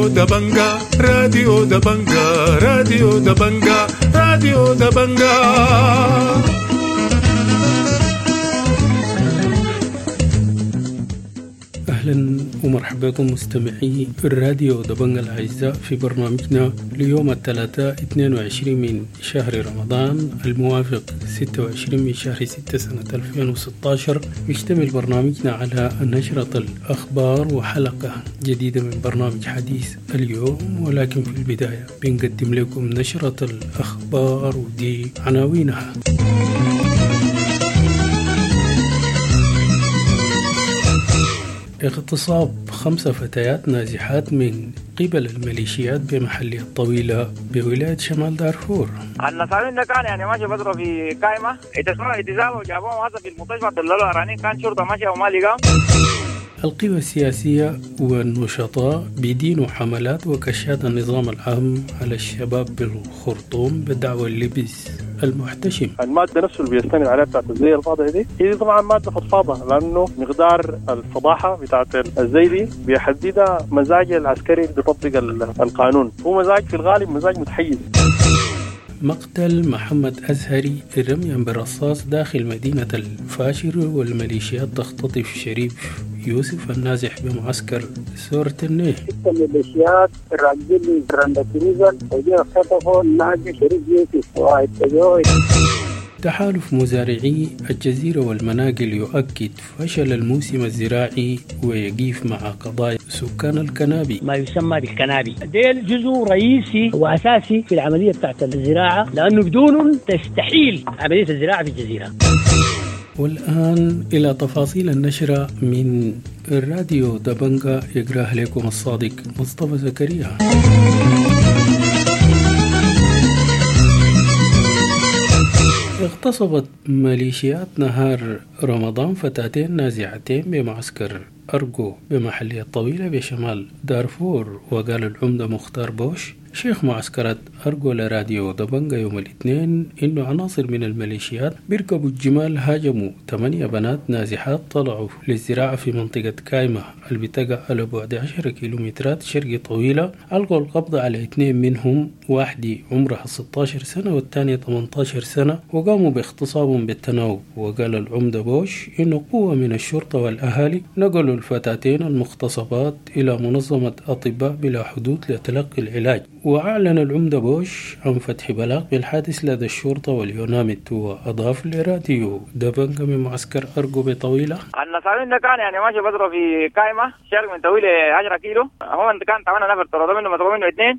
راديو دبنجا، راديو دبنجا، راديو دبنجا، راديو دبنجا. أهلا ومرحبا بكم مستمعي الراديو دبنجا الأعزاء في برنامجنا ليوم الثلاثاء 22 من شهر رمضان الموافق 26 من شهر 6 سنة 2016. يشتمل برنامجنا على نشرة الأخبار وحلقة جديدة من برنامج حديث اليوم، ولكن في البداية بنقدم لكم نشرة الأخبار ودي عناوينها. اغتصاب 5 فتيات نازحات من قبل الميليشيات بمحلية الطويلة بولاية شمال دارفور. النصارين ده كان يعني ماشي فترة في قائمة اتزالوا وجابوهم هذا في المستشفى، دللوا عرانين، كان شرطة ماشية وما لقاهم. القوى السياسية والنشطاء بيدينوا حملات وكشات النظام العام على الشباب بالخرطوم بدعوى اللبس المحتشم. المادة نفسه اللي بيستند عليها بتاعت الزي الفاضح دي هي طبعا مادة فضفاضة، لأنه مقدار الفضاحة بتاعت الزي دي بيحددها مزاج العسكري اللي بيطبق القانون، هو مزاج في الغالب مزاج متحيز. مقتل محمد أزهري رميا بالرصاص داخل مدينة الفاشر، والميليشيات تختطف شريف يوسف النازح بمعسكر سورة النيه. 6 ميليشيات راجلين راندكروزر وجاء خطفوا النازح شريف يوسف واتجوه. تحالف مزارعي الجزيرة والمناقل يؤكد فشل الموسم الزراعي ويقيف مع قضايا سكان الكنابي. ما يسمى بالكنابي ديل جزء رئيسي وأساسي في العملية بتاعت الزراعة، لأنه بدونه تستحيل عملية الزراعة في الجزيرة. والآن إلى تفاصيل النشرة من الراديو دبنجا، يقرأها لكم الصادق مصطفى زكريا. اغتصبت ميليشيات نهار رمضان فتاتين نازعتين بمعسكر أرجو بمحلية الطويلة بشمال دارفور. وقال العمدة مختار بوش شيخ معسكرات أرجو لراديو دبنجا يوم الاثنين إنه عناصر من الميليشيات بيركبوا الجمال هاجموا 8 بنات نازحات طلعوا للزراعة في منطقة كايمة اللي بتقع على بعد 10 كيلومترات شرق طويلة. ألقوا القبض على 2 منهم، واحدة عمرها 16 سنة والثانية 18 سنة، وقاموا باغتصابهم بالتناوب. وقال العمدة بوش إنه قوة من الشرطة والأهالي نقلوا الفتاتين المغتصبات إلى منظمة أطباء بلا حدود لتلقي العلاج. وأعلن العمدة بوش عن فتح بلاغ بالحادث لدى الشرطة واليوناميت. وأضاف لراديو دبنجا من معسكر أرجو بطويلة: النصارين ده كان يعني ماشي فترة في قائمة شرق من طويلة 10 كيلو، هو كان 8 نفر طردوا منه مسكوا منه 2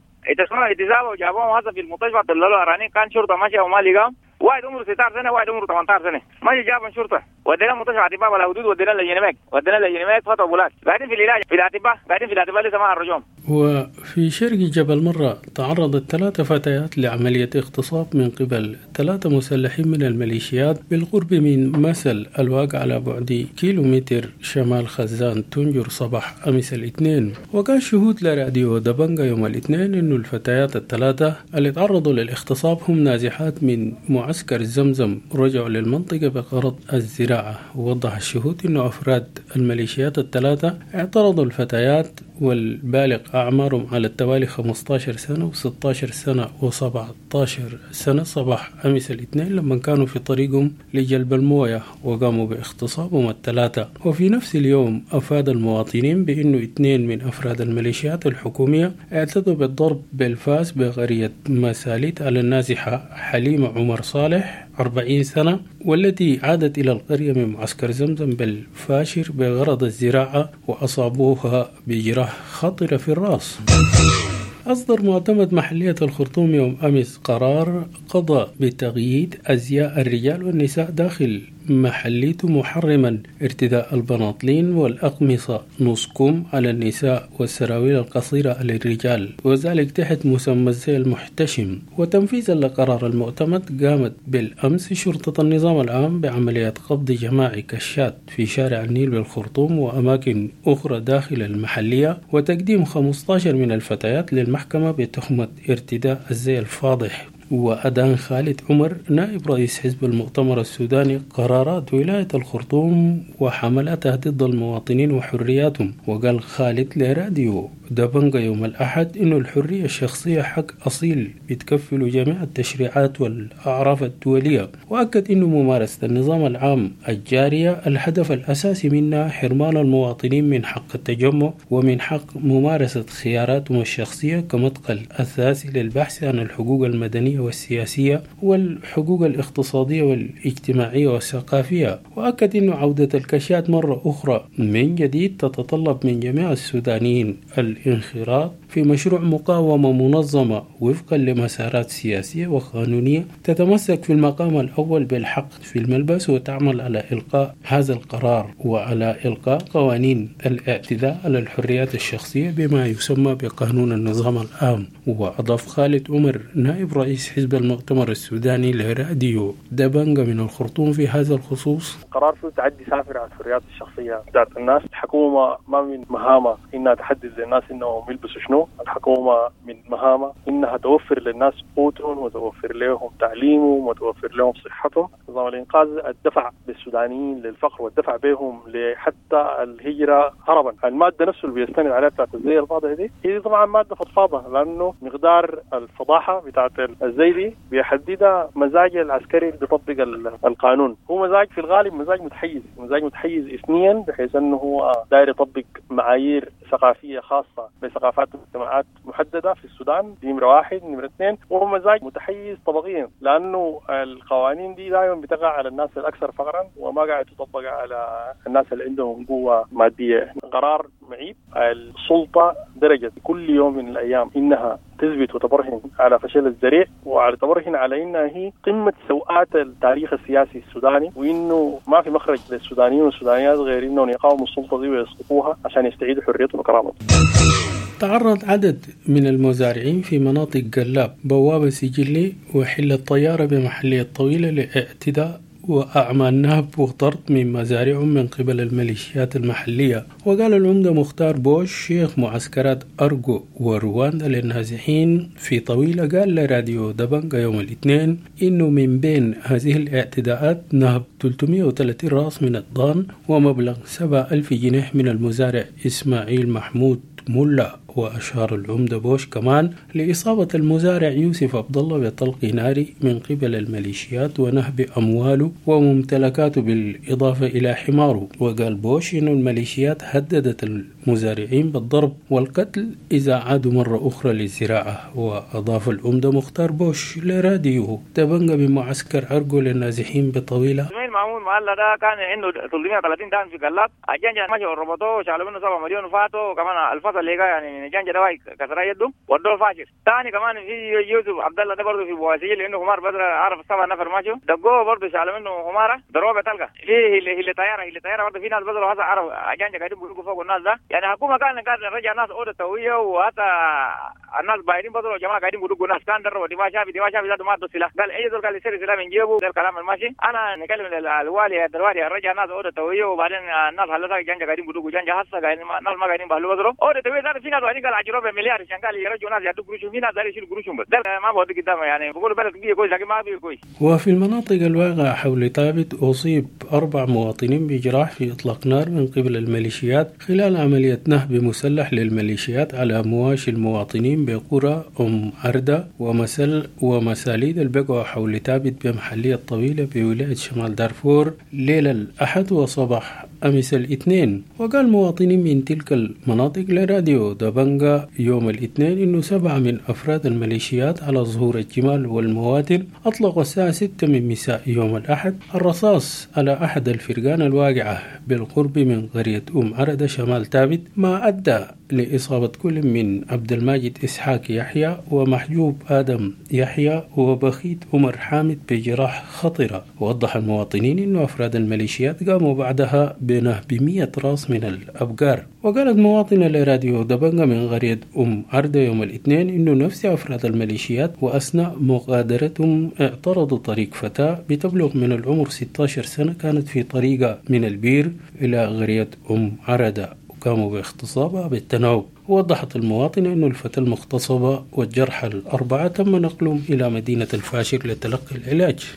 اتزالوا وجابوهم هذا في المستشفى، دللوا عرانين، كان شرطة ماشية وما لقاهم. واحد عمره 16 سنة واحد عمره 18 سنة، ماشي جابهم شرطة ودينا مستشفى اطباء ولا حدود، ودينا للجنماك، ودينا للجنماك فتحوا بولات، قاعدين في العلاج في الاطباء، قاعدين في الاطباء لسه ما خرجوهم. وفي شرق جبل مرة تعرضت 3 فتيات لعملية اغتصاب من قبل 3 مسلحين من الميليشيات بالقرب من مسل الواقع على بعد كيلومتر شمال خزان تنجر صباح أمس الاثنين. وقال شهود لراديو دبنجا يوم الاثنين إنه الفتيات ال3 اللي تعرضوا للاغتصاب هم نازحات من معسكر زمزم رجعوا للمنطقة بغرض الزراعة. ووضح الشهود إنه أفراد الميليشيات ال3 اعترضوا الفتيات والبالغ أعمارهم على التوالي 15 سنة و16 سنة و17 سنة صباح أمس الاثنين لما كانوا في طريقهم لجلب الموية، وقاموا باغتصابهم ال3. وفي نفس اليوم أفاد المواطنين بأنه 2 من أفراد الميليشيات الحكومية اعتدوا بالضرب بالفاس بغرية مساليت على النازحة حليمة عمر صالح 40 سنة، والتي عادت إلى القرية من معسكر زمزم بالفاشر بغرض الزراعة، وأصابوها بجراح خطرة في الرأس. أصدر معتمد محلية الخرطوم يوم أمس قرار قضى بتغيير أزياء الرجال والنساء داخل محليته، محرما ارتداء البناطلين والأقمصة نص كم على النساء والسراويل القصيرة للرجال، وذلك تحت مسمى الزي المحتشم. وتنفيذا لقرار المعتمد قامت بالأمس شرطة النظام العام بعملية قبض جماعي كشات في شارع النيل بالخرطوم وأماكن أخرى داخل المحلية، وتقديم 15 من الفتيات للمحكمة بتهمة ارتداء الزي الفاضح. وأدان خالد عمر نائب رئيس حزب المؤتمر السوداني قرارات ولاية الخرطوم وحملاتها ضد المواطنين وحرياتهم. وقال خالد لراديو دبنجا يوم الأحد إنه الحرية الشخصية حق أصيل بتكفل جميع التشريعات والأعراف الدولية، وأكد إنه ممارسة النظام العام الجارية الهدف الأساسي منها حرمان المواطنين من حق التجمع ومن حق ممارسة خياراتهم الشخصية كمدخل أساسي للبحث عن الحقوق المدنية والسياسية والحقوق الاقتصادية والاجتماعية والثقافية. وأكد أنه عودة الكشات مرة أخرى من جديد تتطلب من جميع السودانيين الانخراط في مشروع مقاومة منظمة وفقا لمسارات سياسية وقانونية تتمسك في المقام الأول بالحق في الملبس، وتعمل على إلقاء هذا القرار وعلى إلقاء قوانين الاعتداء على الحريات الشخصية بما يسمى بقانون النظام العام. وأضاف خالد عمر نائب رئيس حزب المؤتمر السوداني لراديو دبنجا من الخرطوم في هذا الخصوص: قرار فيه تعدي سافر على الحريات الشخصية بتاعت الناس. الحكومة ما من مهامة إنها تحدد للناس إنهم يلبسوا شنو، الحكومة من مهامة إنها توفر للناس قوتهم وتوفر لهم تعليمهم وتوفر لهم صحتهم. نظام الإنقاذ الدفع بالسودانيين للفقر والدفع بهم لحتى الهجرة هربا. المادة نفسه اللي بيستند عليها بتاعت الزي الفاضح دي هي طبعا مادة فضفاضة، لأنه مقدار الفضاحة بتاعت الزي دي بيحددها مزاج العسكري اللي بيطبق القانون. هو مزاج في الغالب مزاج متحيز، مزاج متحيز اثنيا، بحيث انه هو داير يطبق معايير ثقافية خاصة بثقافات ومجتمعات محددة في السودان، دي نمرة واحد. نمرة اثنين، وهو مزاج متحيز طبقيا، لأنه القوانين دي دائما بتقع على الناس الأكثر فقرا وما قاعد تطبق على الناس اللي عندهم قوة مادية. قرار معيب. السلطة درجت كل يوم من الأيام إنها تثبت وتبرهن على فشل الذريع، وعلى تبرهن على إنها هي قمة سوءات التاريخ السياسي السوداني، وإنه ما في مخرج للسودانيين والسودانيات غير إنهم يقاوموا السلطة دي ويسقطوها عشان يستعيدوا حريتهم وكرامتهم. تعرض عدد من المزارعين في مناطق قلاب بوابة سجلي وحل الطيارة بمحلية طويلة لاعتداء وأعمال نهب وطرد من مزارعهم من قبل الميليشيات المحلية. وقال العمدة مختار بوش شيخ معسكرات أرجو ورواندا للنازحين في طويلة، قال لراديو دبنجا يوم الاثنين إنه من بين هذه الاعتداءات نهب 330 رأس من الضان ومبلغ 7000 جنيه من المزارع إسماعيل محمود ملا. وأشار العمدة بوش كمان لإصابة المزارع يوسف عبد الله بطلق ناري من قبل الميليشيات ونهب أمواله وممتلكاته بالإضافة إلى حماره. وقال بوش إن الميليشيات هددت المزارعين بالضرب والقتل إذا عادوا مرة أخرى للزراعة. وأضاف العمدة مختار بوش لراديو دبنجا بمعسكر عرقو للنازحين بطويلة: مامون معلا ده كان عنده 330 دان في قلاب، الجنجة ماشي وربطوه وشالوا منه 7 مليون وفاتوا، وكمان الفصل اللي يعني الجنجة ده واي كسر يده ودوه فاشل. ثاني كمان في يوسف عبد الله ده برضه في بواسيل عنده حمار بدر عرف 7 نفر ماشي دقوه برضه شالوا منه حماره ضربه بتلقى في اللي طياره اللي طياره برضه في ناس بدر هذا عرف الجنجة قاعدين بيقولوا فوق الناس ده. يعني حكومه كان رجع ناس اوضه تويه، وحتى الناس بايرين بدر جماعه قاعدين بيقولوا ناس كان دربوا دي ما شاف دي ما شاف ذاته ما عنده سلاح، قال اي زول قال يشتري سلاح من جيبه. ده الكلام الماشي. انا نكلم الوالي الوالي رجع ناس اوضه تويه، وبعدين الناس هلا جنجة قاعدين بيقولوا جنجة هسه قاعدين الناس ما قاعدين بهلوا بدروا اوضه تويه ذاته في ناس قاعدين قال عجروا بمليار عشان قال يرجعوا ناس يدوا قروشهم، في ناس يشيلوا قروشهم بس ده ما بودي قدام. يعني بيقولوا بلد بيه كويس لكن ما بيه كويس. وفي المناطق الواقعة حول ثابت أصيب 4 مواطنين بجراح في إطلاق نار من قبل الميليشيات خلال عملية نهب مسلح للميليشيات على مواشي المواطنين بقرى أم عردة ومسل ومساليد البقعة حول ثابت بمحلية طويلة بولاية شمال دارفور ليلة الأحد وصباح أمس الاثنين. وقال مواطنين من تلك المناطق لراديو دبنجا يوم الاثنين إنه 7 من أفراد الميليشيات على ظهور الجمال والمواتر أطلقوا الساعة 6 من مساء يوم الأحد الرصاص على أحد الفرقان الواقعة بالقرب من قرية أم عردة شمال ثابت، ما أدى لإصابة كل من عبد الماجد إسحاق يحيى ومحجوب آدم يحيى وبخيت عمر حامد بجراح خطرة. ووضح المواطنين أن أفراد الميليشيات قاموا بعدها بنهب 100 راس من الأبقار. وقالت مواطنة لراديو دبنجا من قرية أم عردة يوم الاثنين أنه نفس أفراد الميليشيات وأثناء مغادرتهم اعترضوا طريق فتاة بتبلغ من العمر 16 سنة كانت في طريقة من البير إلى قرية أم عردة، وقاموا باغتصابها بالتناوب. ووضحت المواطنة أن الفتاة المغتصبة والجرحى 4 تم نقلهم إلى مدينة الفاشر لتلقي العلاج.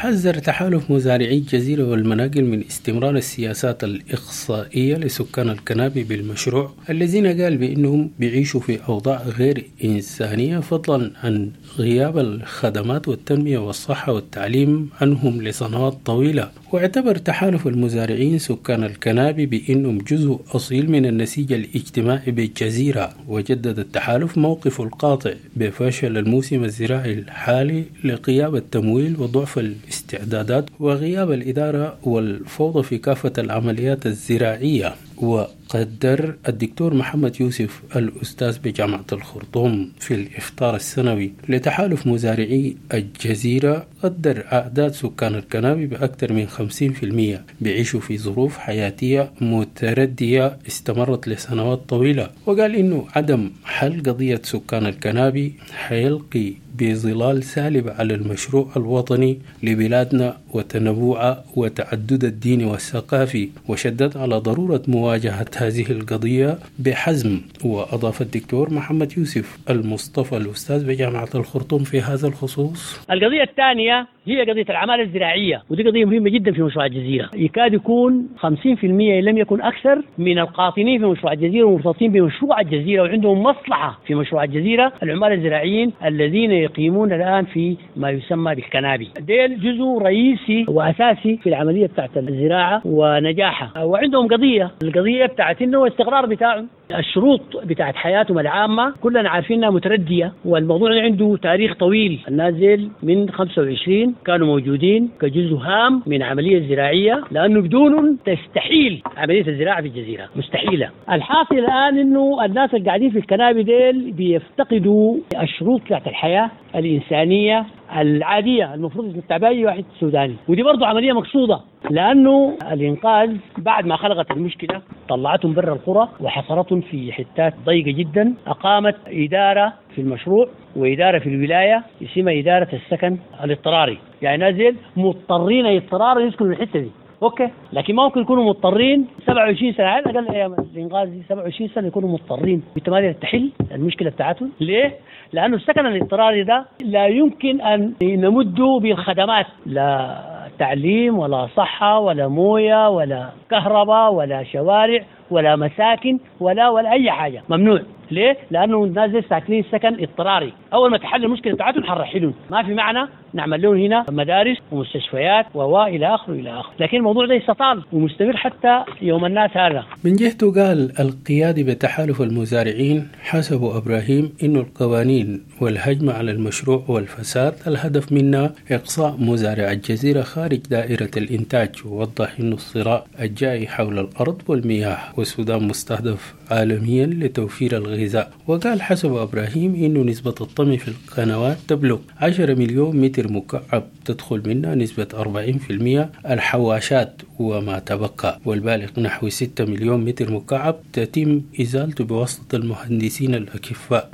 حذر تحالف مزارعي الجزيرة والمناقل من استمرار السياسات الإقصائية لسكان الكنابي بالمشروع، الذين قال بأنهم بيعيشوا في أوضاع غير إنسانية، فضلا عن غياب الخدمات والتنمية والصحة والتعليم عنهم لسنوات طويلة. واعتبر تحالف المزارعين سكان الكنابي بأنهم جزء أصيل من النسيج الاجتماعي بالجزيرة. وجدد التحالف موقفه القاطع بفشل الموسم الزراعي الحالي لغياب التمويل وضعف الاستعدادات وغياب الإدارة والفوضى في كافة العمليات الزراعية. وقدر الدكتور محمد يوسف الأستاذ بجامعة الخرطوم في الإفطار السنوي لتحالف مزارعي الجزيرة قدر أعداد سكان الكنابي بأكثر من 50% بيعيشوا في ظروف حياتية متردية استمرت لسنوات طويلة. وقال إنه عدم حل قضية سكان الكنابي حيلقي بظلال سالب على المشروع الوطني لبلادنا وتنوعه وتعدد الدين والثقافي، وشدد على ضرورة مواجهة هذه القضية بحزم. وأضاف الدكتور محمد يوسف المصطفى الأستاذ بجامعة الخرطوم في هذا الخصوص: القضية الثانية هي قضية العمالة الزراعية، ودي قضية مهمة جدا في مشروع الجزيرة. يكاد يكون 50% لم يكن أكثر من القاطنين في مشروع الجزيرة ومرتبطين بمشروع الجزيرة وعندهم مصلحة في مشروع الجزيرة العمال الزراعيين الذين يقيمون الآن في ما يسمى بالكنابي. ديل جزء رئيسي وأساسي في العملية بتاعت الزراعة ونجاحها، وعندهم قضية، القضية بتاعت إنه الاستقرار بتاعهم، الشروط بتاعت حياتهم العامة كلنا عارفينها متردية، والموضوع عنده تاريخ طويل. النازل من 25 كانوا موجودين كجزء هام من عملية زراعية، لأنه بدونهم تستحيل عملية الزراعة في الجزيرة، مستحيلة. الحاصل الآن إنه الناس اللي قاعدين في الكنابي ديل بيفتقدوا الشروط بتاعت الحياة الإنسانية العادية المفروض يتبعها أي واحد سوداني، ودي برضو عملية مقصودة، لأنه الإنقاذ بعد ما خلقت المشكلة طلعتهم برا القرى وحصرتهم في حتات ضيقة جدا، أقامت إدارة في المشروع وإدارة في الولاية اسمها إدارة السكن الاضطراري، يعني نازل مضطرين اضطرارا يسكنوا الحتة دي، okay، لكن ما ممكن يكونوا مضطرين 27 سنة على الأقل أيام الإنقاذ دي 27 سنة يكونوا مضطرين. أنت ما تحل المشكلة بتاعتهم ليه؟ لأنه السكن الاضطراري ده لا يمكن أن نمده بالخدمات، لا تعليم ولا صحة ولا موية ولا كهرباء ولا شوارع ولا مساكن ولا أي حاجة، ممنوع. ليه؟ لأنه الناس ساكنين سكن اضطراري، أول ما تحل المشكلة بتاعتهم حنرحلهم، ما في معنى نعمل لهم هنا مدارس ومستشفيات وإلى آخره إلى آخره، لكن الموضوع ده يستطال ومستمر حتى يوم الناس هذا. من جهته قال القيادي بتحالف المزارعين حسب إبراهيم إنه القوانين والهجمة على المشروع والفساد الهدف منها إقصاء مزارع الجزيرة خارج دائرة الإنتاج، ووضح إنه الصراع الجاي حول الأرض والمياه والسودان مستهدف عالميا لتوفير الغذاء. وقال حسب إبراهيم إنه نسبة الطمي في القنوات تبلغ 10 مليون متر مكعب تدخل منها نسبة 40% الحواشات وما تبقى، والبالغ نحو 6 مليون متر مكعب تتم إزالته بواسطة المهندسين الأكفاء.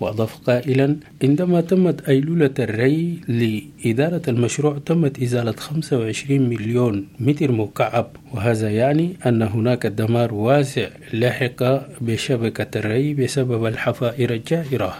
وأضاف قائلا: عندما تمت أيلولة الري لإدارة المشروع تمت إزالة 25 مليون متر مكعب، وهذا يعني أن هناك دمار واسع لحق بشبكة الري بسبب الحفائر الجائرة.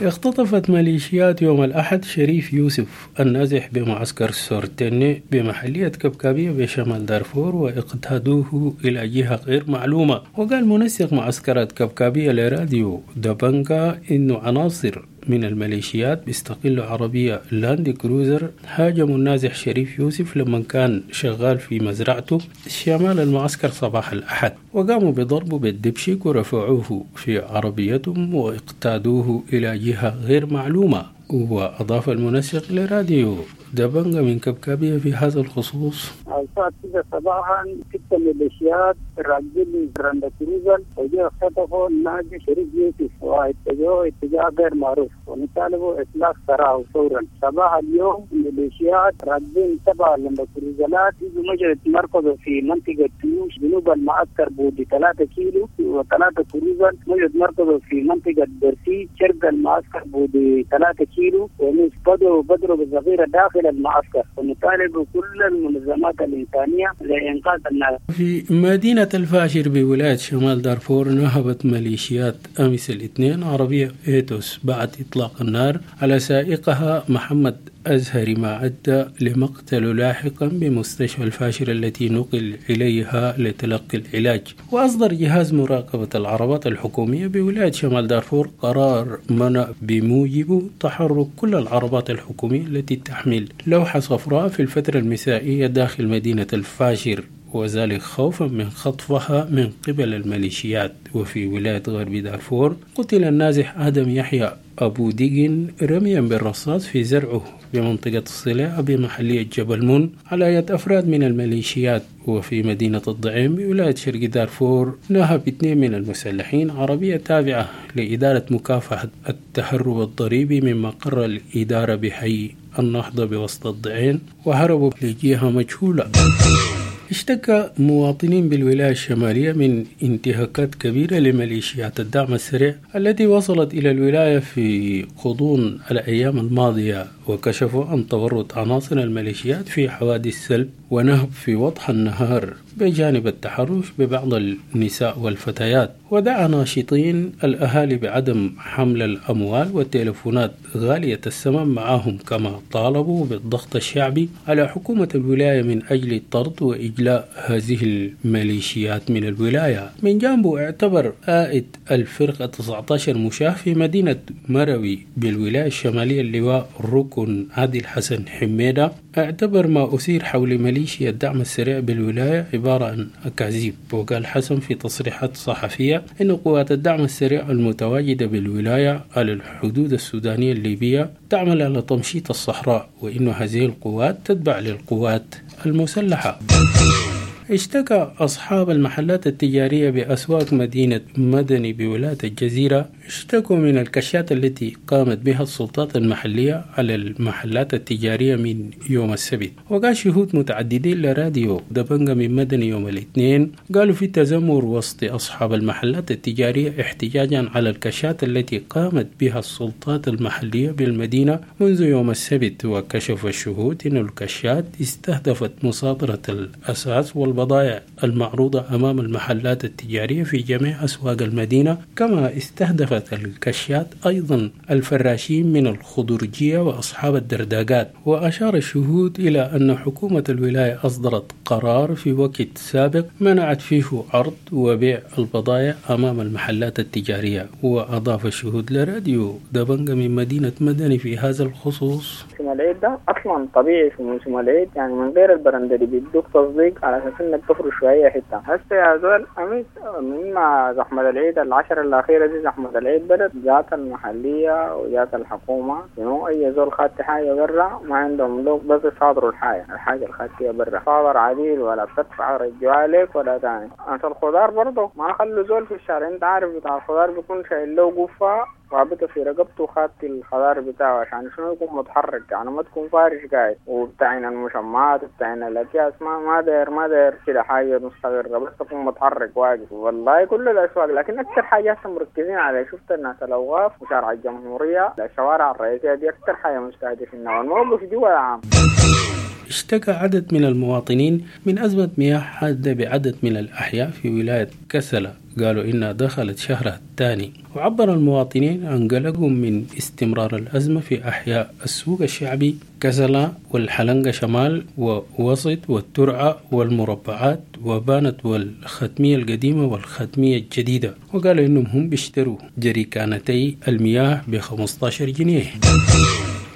اختطفت ميليشيات يوم الأحد شريف يوسف النازح بمعسكر سورتيني بمحلية كبكابية بشمال دارفور واقتادوه إلى جهة غير معلومة. وقال منسق معسكرات كبكابية لراديو دبنجا إنه عناصر من الميليشيات بيستقلوا عربية لاند كروزر هاجموا النازح شريف يوسف لما كان شغال في مزرعته شمال المعسكر صباح الأحد، وقاموا بضربه بالدبشك ورفعوه في عربيتهم واقتادوه إلى جهة غير معلومة. وأضاف المنسق لراديو دبنجا من كبكابية في هذا الخصوص: الساعة 9 صباحا 6 ميليشيات راكبين لاند كروزر وجاء خطفوا الناجي شريف يوسف واتجهوا اتجاه غير معروف ونطالبوا إطلاق سراحه فورا. صباح اليوم ميليشيات راكبين 7 لاند كروزرات يجوا مجرد مركزوا في منطقة تيوش جنوب المعسكر بودي 3 كيلو، و3 كروزر مجرد مركزوا في منطقة برسي شرق المعسكر بودي 3 كيلو، وبدأوا بالذخيرة داخل المعسكر، ونطالب كل المنظمات الإنسانية لإنقاذ الناس. في مدينة الفاشر بولاية شمال دارفور نهبت ميليشيات أمس الاثنين عربية إيتوس بعد إطلاق النار على سائقها محمد أزهري، ما أدى لمقتله لاحقا بمستشفى الفاشر التي نقل إليها لتلقي العلاج. وأصدر جهاز مراقبة العربات الحكومية بولاية شمال دارفور قرار منع بموجبه تحرك كل العربات الحكومية التي تحمل لوحة صفراء في الفترة المسائية داخل مدينة الفاشر، وذلك خوفا من خطفها من قبل الميليشيات. وفي ولاية غرب دارفور قتل النازح آدم يحيى أبو ديجن رميا بالرصاص في زرعه بمنطقة الصلاة بمحلية جبل مون على يد أفراد من الميليشيات. وفي مدينة الضعيم بولاية شرق دارفور نهب 2 من المسلحين عربية تابعة لإدارة مكافحة التهرب الضريبي من مقر الإدارة بحي النهضة بوسط الضعين وهربوا لجهة مجهولة. اشتكى مواطنين بالولاية الشمالية من انتهاكات كبيرة لميليشيات الدعم السريع التي وصلت إلى الولاية في غضون الأيام الماضية، وكشفوا عن تورط عناصر الميليشيات في حوادث سلب ونهب في وضح النهار بجانب التحرش ببعض النساء والفتيات. ودعا ناشطين الأهالي بعدم حمل الأموال والتلفونات غالية الثمن معهم، كما طالبوا بالضغط الشعبي على حكومة الولاية من أجل طرد وإجلاء هذه الميليشيات من الولاية. من جانبه اعتبر قائد الفرقة 19 مشاه في مدينة مروي بالولاية الشمالية اللواء ركن عادل حسن حميدة، اعتبر ما أثير حول ميليشيا الدعم السريع بالولاية عبارة عن أكاذيب. وقال حسن في تصريحات صحفية إن قوات الدعم السريع المتواجدة بالولاية على الحدود السودانية الليبية تعمل على تمشيط الصحراء، وإن هذه القوات تتبع للقوات المسلحة. اشتكى أصحاب المحلات التجارية بأسواق مدينة مدني بولاية الجزيرة، اشتكوا من الكشات التي قامت بها السلطات المحلية على المحلات التجارية من يوم السبت. وقال شهود متعددين لراديو دبنجة من مدني يوم الاثنين، قالوا في تذمر وسط أصحاب المحلات التجارية احتجاجا على الكشات التي قامت بها السلطات المحلية بالمدينة منذ يوم السبت. وكشف الشهود أن الكشات استهدفت مصادرة الأساس والبضائع المعروضة أمام المحلات التجارية في جميع أسواق المدينة، كما استهدفت الكشات أيضا الفراشين من الخضرجية وأصحاب الدرداقات. وأشار الشهود إلى أن حكومة الولاية أصدرت قرار في وقت سابق منعت فيه عرض وبيع البضائع أمام المحلات التجارية. وأضاف الشهود لراديو دبنجة من مدينة مدني في هذا الخصوص: موسم العيد ده أصلا طبيعي في موسم العيد، يعني من غير البرندري بيدوك تصديق على أساس إنك تفرش شوية حتة. هسه يا زول أمس مما زحمة العيد العشر الأخيرة دي، زحمة العيد بدت جات المحلية وجات الحكومة، إنه أي زول خدت حاجة برا ما عندهم لو بس صادروا الحاجة الخاتية برا، صادر عديل ولا بتدفع رجعوا عليك ولا تاني. أنت الخضار برضه ما خلوا زول في الشارع، أنت عارف بتاع الخضار بيكون شايل له قفة رابطه في رقبته وخاتي الخضار بتاعه عشان شنو يكون متحرك، يعني ما تكون فارش قاعد. وبتاعين المشمعات وبتاعين الاكياس ما داير كده حاجه مستقره، بس تكون متحرك واقف. والله كل الاسواق، لكن اكثر حاجه هسه مركزين على شفت الناس الاوقاف وشارع الجمهوريه، الشوارع الرئيسيه دي اكثر حاجه مستهدفينها، والموقف جوا العام. اشتكى عدد من المواطنين من أزمة مياه حادة بعدد من الأحياء في ولاية كسلة، قالوا إنها دخلت شهرها الثاني. وعبر المواطنين عن قلقهم من استمرار الأزمة في أحياء السوق الشعبي كسلة والحلنقة شمال ووسط والترعة والمربعات وبانت والختمية القديمة والختمية الجديدة، وقالوا إنهم هم بيشتروا جريكانتي المياه ب15 جنيه.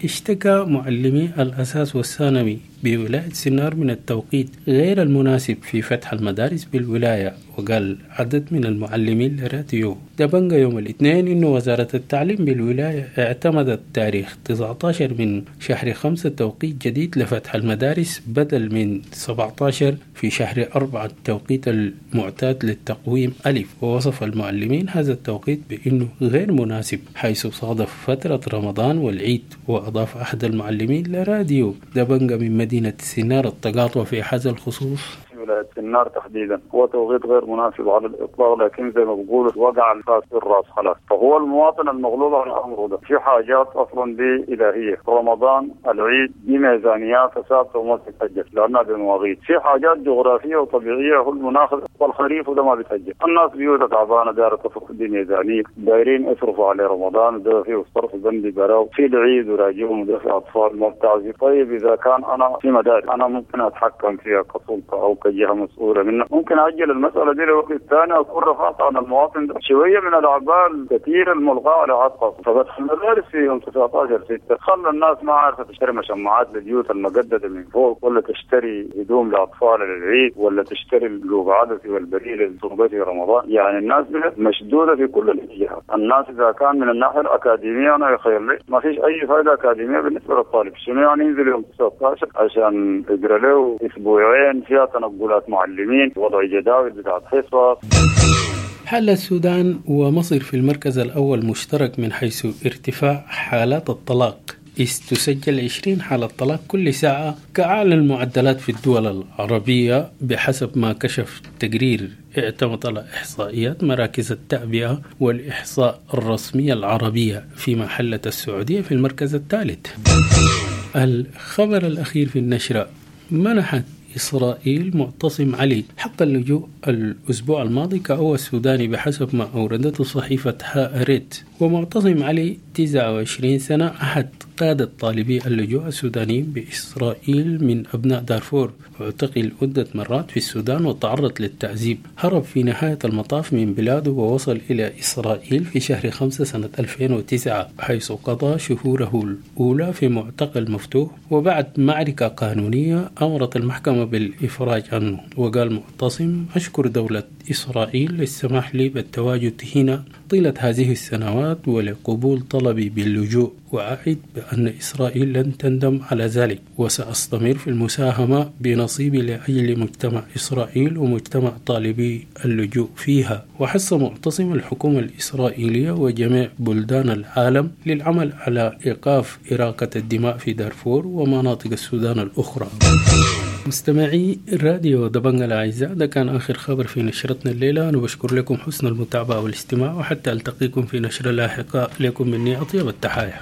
اشتكى معلمي الأساس والثانوي بولاية سنار من التوقيت غير المناسب في فتح المدارس بالولاية، وقال عدد من المعلمين لراديو دبنجة يوم الاثنين إنه وزارة التعليم بالولاية اعتمدت تاريخ 19 من شهر 5 توقيت جديد لفتح المدارس بدل من 17 في شهر 4 التوقيت المعتاد للتقويم ألف. ووصف المعلمين هذا التوقيت بأنه غير مناسب حيث صادف فترة رمضان والعيد. وأضاف أحد المعلمين لراديو دبنجة من مدينة سنار التقاطع في هذا الخصوص: ولاية سنار تحديدا هو توقيت غير مناسب على الإطلاق، لكن زي ما بقولوا وقع الفاس في الراس خلاص. فهو المواطن المغلوب على أمره ده في حاجات أصلا دي إلهية، رمضان، العيد، دي ميزانيات ثابتة وما تتأجل لأنها بمواقيت. في حاجات جغرافية وطبيعية هو المناخ والخريف وده ما بيتأجل. الناس بيوتها تعبانة، دايرة تصرف، دي ميزانية، دايرين يصرفوا على رمضان ده فيه الصرف بندي براو، في العيد وراجعهم وده في أطفال ما بتعزف. طيب إذا كان أنا في مدارس أنا ممكن أتحكم فيها كسلطة أو كجهة مسؤولة منها، ممكن أجل المسألة دي لوقت ثاني، أكون رفعت عن المواطن ده شوية من الأعباء الكثيرة الملغاة على عاتقه. ففتح المدارس في يوم 19/6 خلى الناس ما عارفة تشتري مشمعات للبيوت المقددة من فوق، ولا تشتري هدوم لأطفال للعيد، ولا تشتري اللوب عدسي والبريل اللي في رمضان. يعني الناس مشدودة في كل الاتجاهات. الناس إذا كان من الناحية الأكاديمية أنا يخيل لي ما فيش أي فائدة أكاديمية بالنسبة للطالب. شنو يعني ينزل يوم 19 عشان يقرأ له أسبوعين فيها تنقلات معلمين، وضع جداول بتاعت حصص. حل السودان ومصر في المركز الأول مشترك من حيث ارتفاع حالات الطلاق، إذ تسجل 20 حالة طلاق كل ساعة كأعلى المعدلات في الدول العربية بحسب ما كشف تقرير اعتمد على إحصائيات مراكز التعبئة والإحصاء الرسمية العربية، فيما حلت السعودية في المركز الثالث. الخبر الأخير في النشرة: منحت إسرائيل معتصم علي حق اللجوء الأسبوع الماضي كأول سوداني بحسب ما أوردته صحيفة هاريت. ومعتصم علي 29 سنة أحد قادة طالبي اللجوء السودانيين بإسرائيل من أبناء دارفور، واعتقل عدة مرات في السودان وتعرض للتعذيب. هرب في نهاية المطاف من بلاده ووصل إلى إسرائيل في شهر 5 سنة 2009، حيث قضى شهوره الأولى في معتقل مفتوح، وبعد معركة قانونية أمرت المحكمة بالإفراج عنه. وقال معتصم: أشكر دولة إسرائيل للسماح لي بالتواجد هنا طيلة هذه السنوات ولقبول طلبي باللجوء، وأعد بأن إسرائيل لن تندم على ذلك، وسأستمر في المساهمة بنصيبي لأجل مجتمع إسرائيل ومجتمع طالبي اللجوء فيها. وحث معتصم الحكومة الإسرائيلية وجميع بلدان العالم للعمل على إيقاف إراقة الدماء في دارفور ومناطق السودان الأخرى. مستمعي راديو دبنجا الأعزاء، ده كان آخر خبر في نشرتنا الليلة. أنا بشكر لكم حسن المتابعة والاستماع، وحتى ألتقيكم في نشرة لاحقة. لكم مني أطيب التحايا.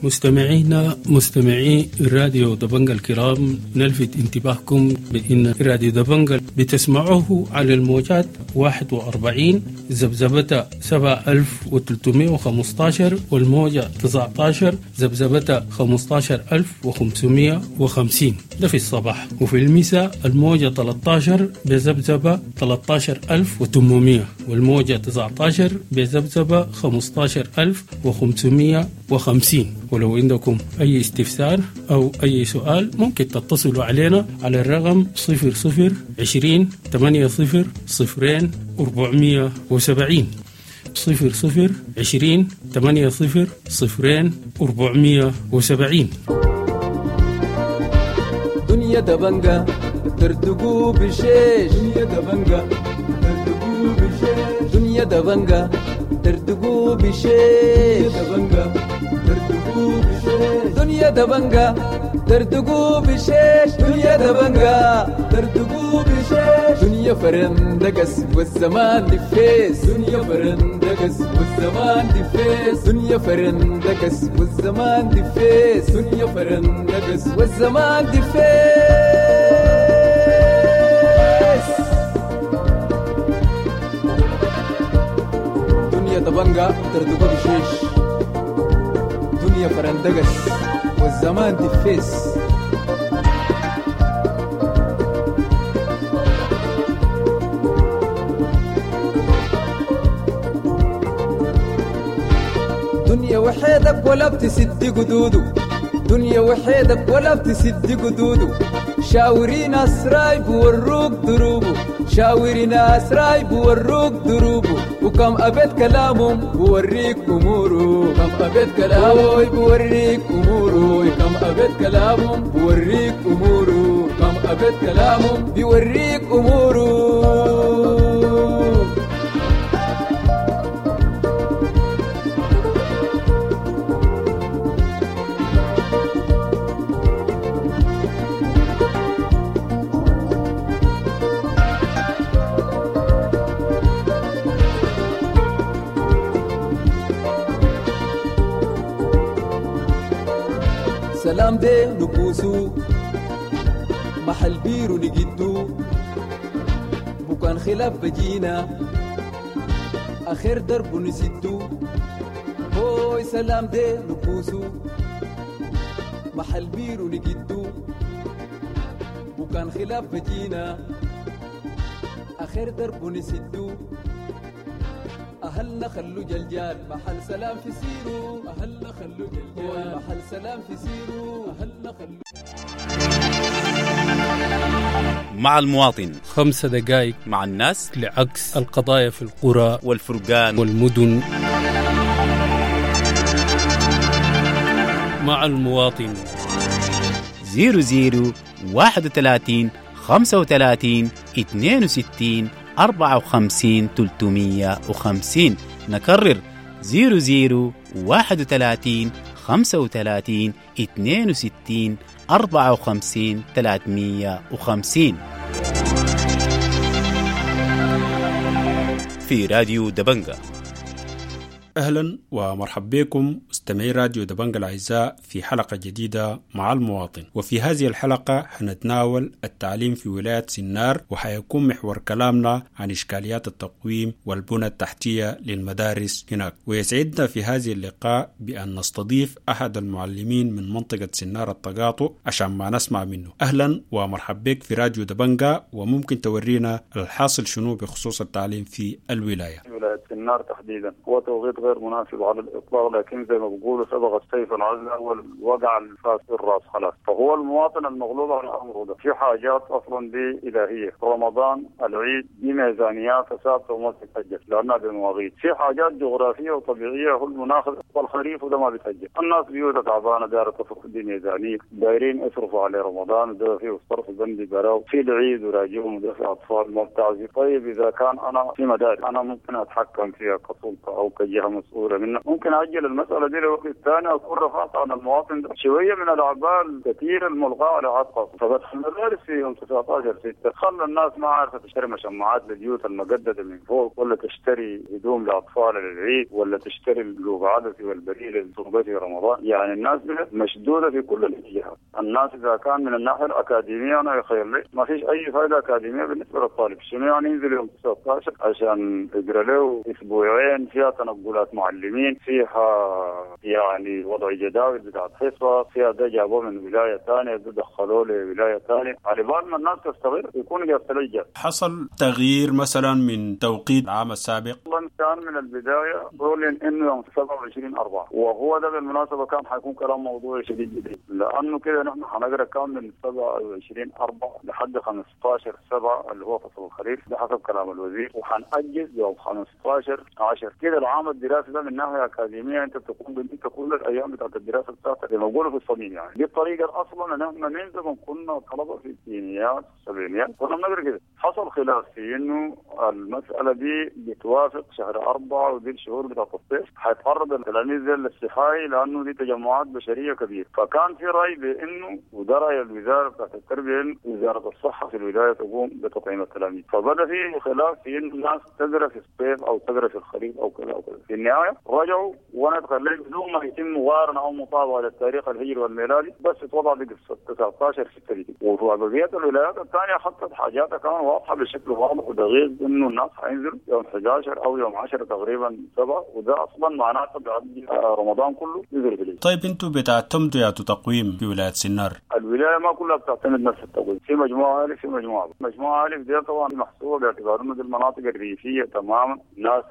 مستمعينا مستمعي راديو دبنجا الكرام، نلفت انتباهكم بأن راديو دبنجا بتسمعوه على الموجات 41 ذبذبة 7315 والموجة 19 ذبذبة 15550، ده في الصباح. وفي المساء الموجة 13 بذبذبة 13800 والموجة 19 بذبذبة 15550. ولو عندكم أي استفسار أو أي سؤال ممكن تتصلوا علينا على الرقم 00 20 80 0 470، 00 20 80 0 470. دنيا دبنجة ترتقو بشيش، دنيا دبنجة ترتقو بشيش، دنيا دبنجة ترتقو بشيش، دبنجة ترتقو بشيش، دنيا دبنجة ترتقو بشيش، دنيا دبنجة ترتقو بشيش، دنيا فرندقس والزمان دفيس، دنيا فرندقس والزمان دفيس، دنيا فرندقس والزمان دفيس، دنيا فرندقس والزمان دفيس. دنيا دبنجة ترتقو بشيش، دنيا فرندقس والزمان دفيس. دنيا وحيدك ولا بتسد قدوده، دنيا وحيدك ولا بتسد قدوده، شاوري ناس رايب وروك دروبه، شاوري ناس رايب وروك دروبه، وكم أبيت كلامهم بوريك أموره، كم أبيت كلامه بوريك أموره، كم أبيت كلامهم بوريك أموره، كم أبيت كلامهم بيوريك أموره. سلام دي نبوسو محل بيرو نجدو بكان خلاف بجينا آخر درب نسدو هوي سلام دي نبوسو محل بيرو نجدو وكان خلاف بجينا آخر درب نسدو أهلنا خلو جلجال محل سلام في سيرو أهلنا خلو جلجال محل سلام في سيرو أهلنا خلو. مع المواطن 5 دقائق مع الناس لعكس القضايا في القرى والفرقان والمدن. مع المواطن 00 31 35 62 54 350. نكرر 00 31 35 62 54 350 في راديو دبنجة. أهلا ومرحبا بكم مستمعي راديو دبنجة الأعزاء في حلقة جديدة مع المواطن. وفي هذه الحلقة حنتناول التعليم في ولاية سنار، وحيكون محور كلامنا عن إشكاليات التقويم والبنى التحتية للمدارس هناك. ويسعدنا في هذه اللقاء بأن نستضيف أحد المعلمين من منطقة سنار التقاطع عشان ما نسمع منه. أهلا ومرحبا بك في راديو دبنجة، وممكن تورينا الحاصل شنو بخصوص التعليم في الولاية؟ ولاية سنار تحديدا هو توقيت غير مناسب على الإطلاق، لكن زي ما بيقولوا سبق السيف العزل أول وقع الفاس في الراس خلاص. فهو المواطن المغلوب على أمره ده في حاجات أصلا دي إلهية، رمضان، العيد، دي ميزانيات ثابتة وما بتتأجل لأنها بمواقيت. في حاجات جغرافية وطبيعية هو المناخ والخريف وده ما بيتأجل. الناس بيوتها تعبانة دايرة تصرف دي ميزانية، دايرين يصرفوا على رمضان وده فيه الصرف بندي براو، في العيد وراجعهم وده في أطفال ما بتعزي. طيب إذا كان أنا في مدارس أنا ممكن أتحكم فيها كسلطة أو كجهة مسؤولة منها، ممكن أجل المسألة دي لوقت ثاني أكون رفعت عن المواطن ده شوية من الأعباء الكثيرة الملغاة على عاتقه. ففتح المدارس في يوم 19/6 خلى الناس ما عارفة تشتري مشمعات للبيوت المجددة من فوق، ولا تشتري هدوم لأطفال للعيد، ولا تشتري اللوب عدسي والبريل اللي في رمضان. يعني الناس مشدودة في كل الاتجاهات. الناس إذا كان من الناحية الأكاديمية أنا يخيل لي ما فيش أي فائدة أكاديمية بالنسبة للطالب. شنو يعني ينزل يوم 19 عشان يقرأ له أسبوعين فيها تنقلات معلمين، فيها يعني وضع جداول بتاعت حصة، فيها ده جابوه من ولاية ثانية ده دخلوه لولاية ثانية، على بال ما الناس تستغل يكون جاب ثلجة. حصل تغيير مثلا من توقيت العام السابق؟ والله كان من البداية أعلن إنه يوم 27/4، وهو ده بالمناسبة كان حيكون كلام موضوعي شديد جدا، لأنه كده نحن حنقرأ كان من 27/4 لحد 15/7 اللي هو فصل الخريف ده حسب كلام الوزير، وحنأجز يوم 15/10 كده. العام الدراسي ده من ناحية اكاديمية انت بتكون انت كل الايام بتاعت الدراسة بتاعتك زي ما بيقولوا في الصميم. يعني دي الطريقة اصلا ان احنا من زمان كنا طلبه في الستينيات السبعينيات كنا بنقرا كده. حصل خلاف في انه المسالة دي بتوافق شهر 4 ودي الشهور بتاعت الصيف حيتعرض التلاميذ للصحاي لانه دي تجمعات بشرية كبيرة. فكان في راي بانه وده راي الوزارة بتاعت التربية انه وزارة الصحة في الولاية تقوم بتطعيم التلاميذ. فبدا في خلاف في انه الناس تقرا في الصيف او تقرا في الخريف او كذا او كذا. في النهاية رجعوا وانا اتخليت بدون ما يتم مقارنة او مطابقه للتاريخ الهجري والميلادي، بس اتوضع بقصة 19/6 دي. وفي بقية الولايات الثانية خطت حاجاتها كمان واضحة بشكل واضح ودقيق انه الناس حينزلوا يوم 11 او يوم 10 تقريبا 7، وده اصلا معناته بيعدي رمضان كله ينزل في. طيب انتم بتعتمدوا يا تقويم في ولاية سنار؟ الولاية ما كلها بتعتمد نفس التقويم، في مجموعة الف في مجموعة مجموعة الف دي طبعا محسوبة باعتبار انه دي المناطق الريفية تماما، ناس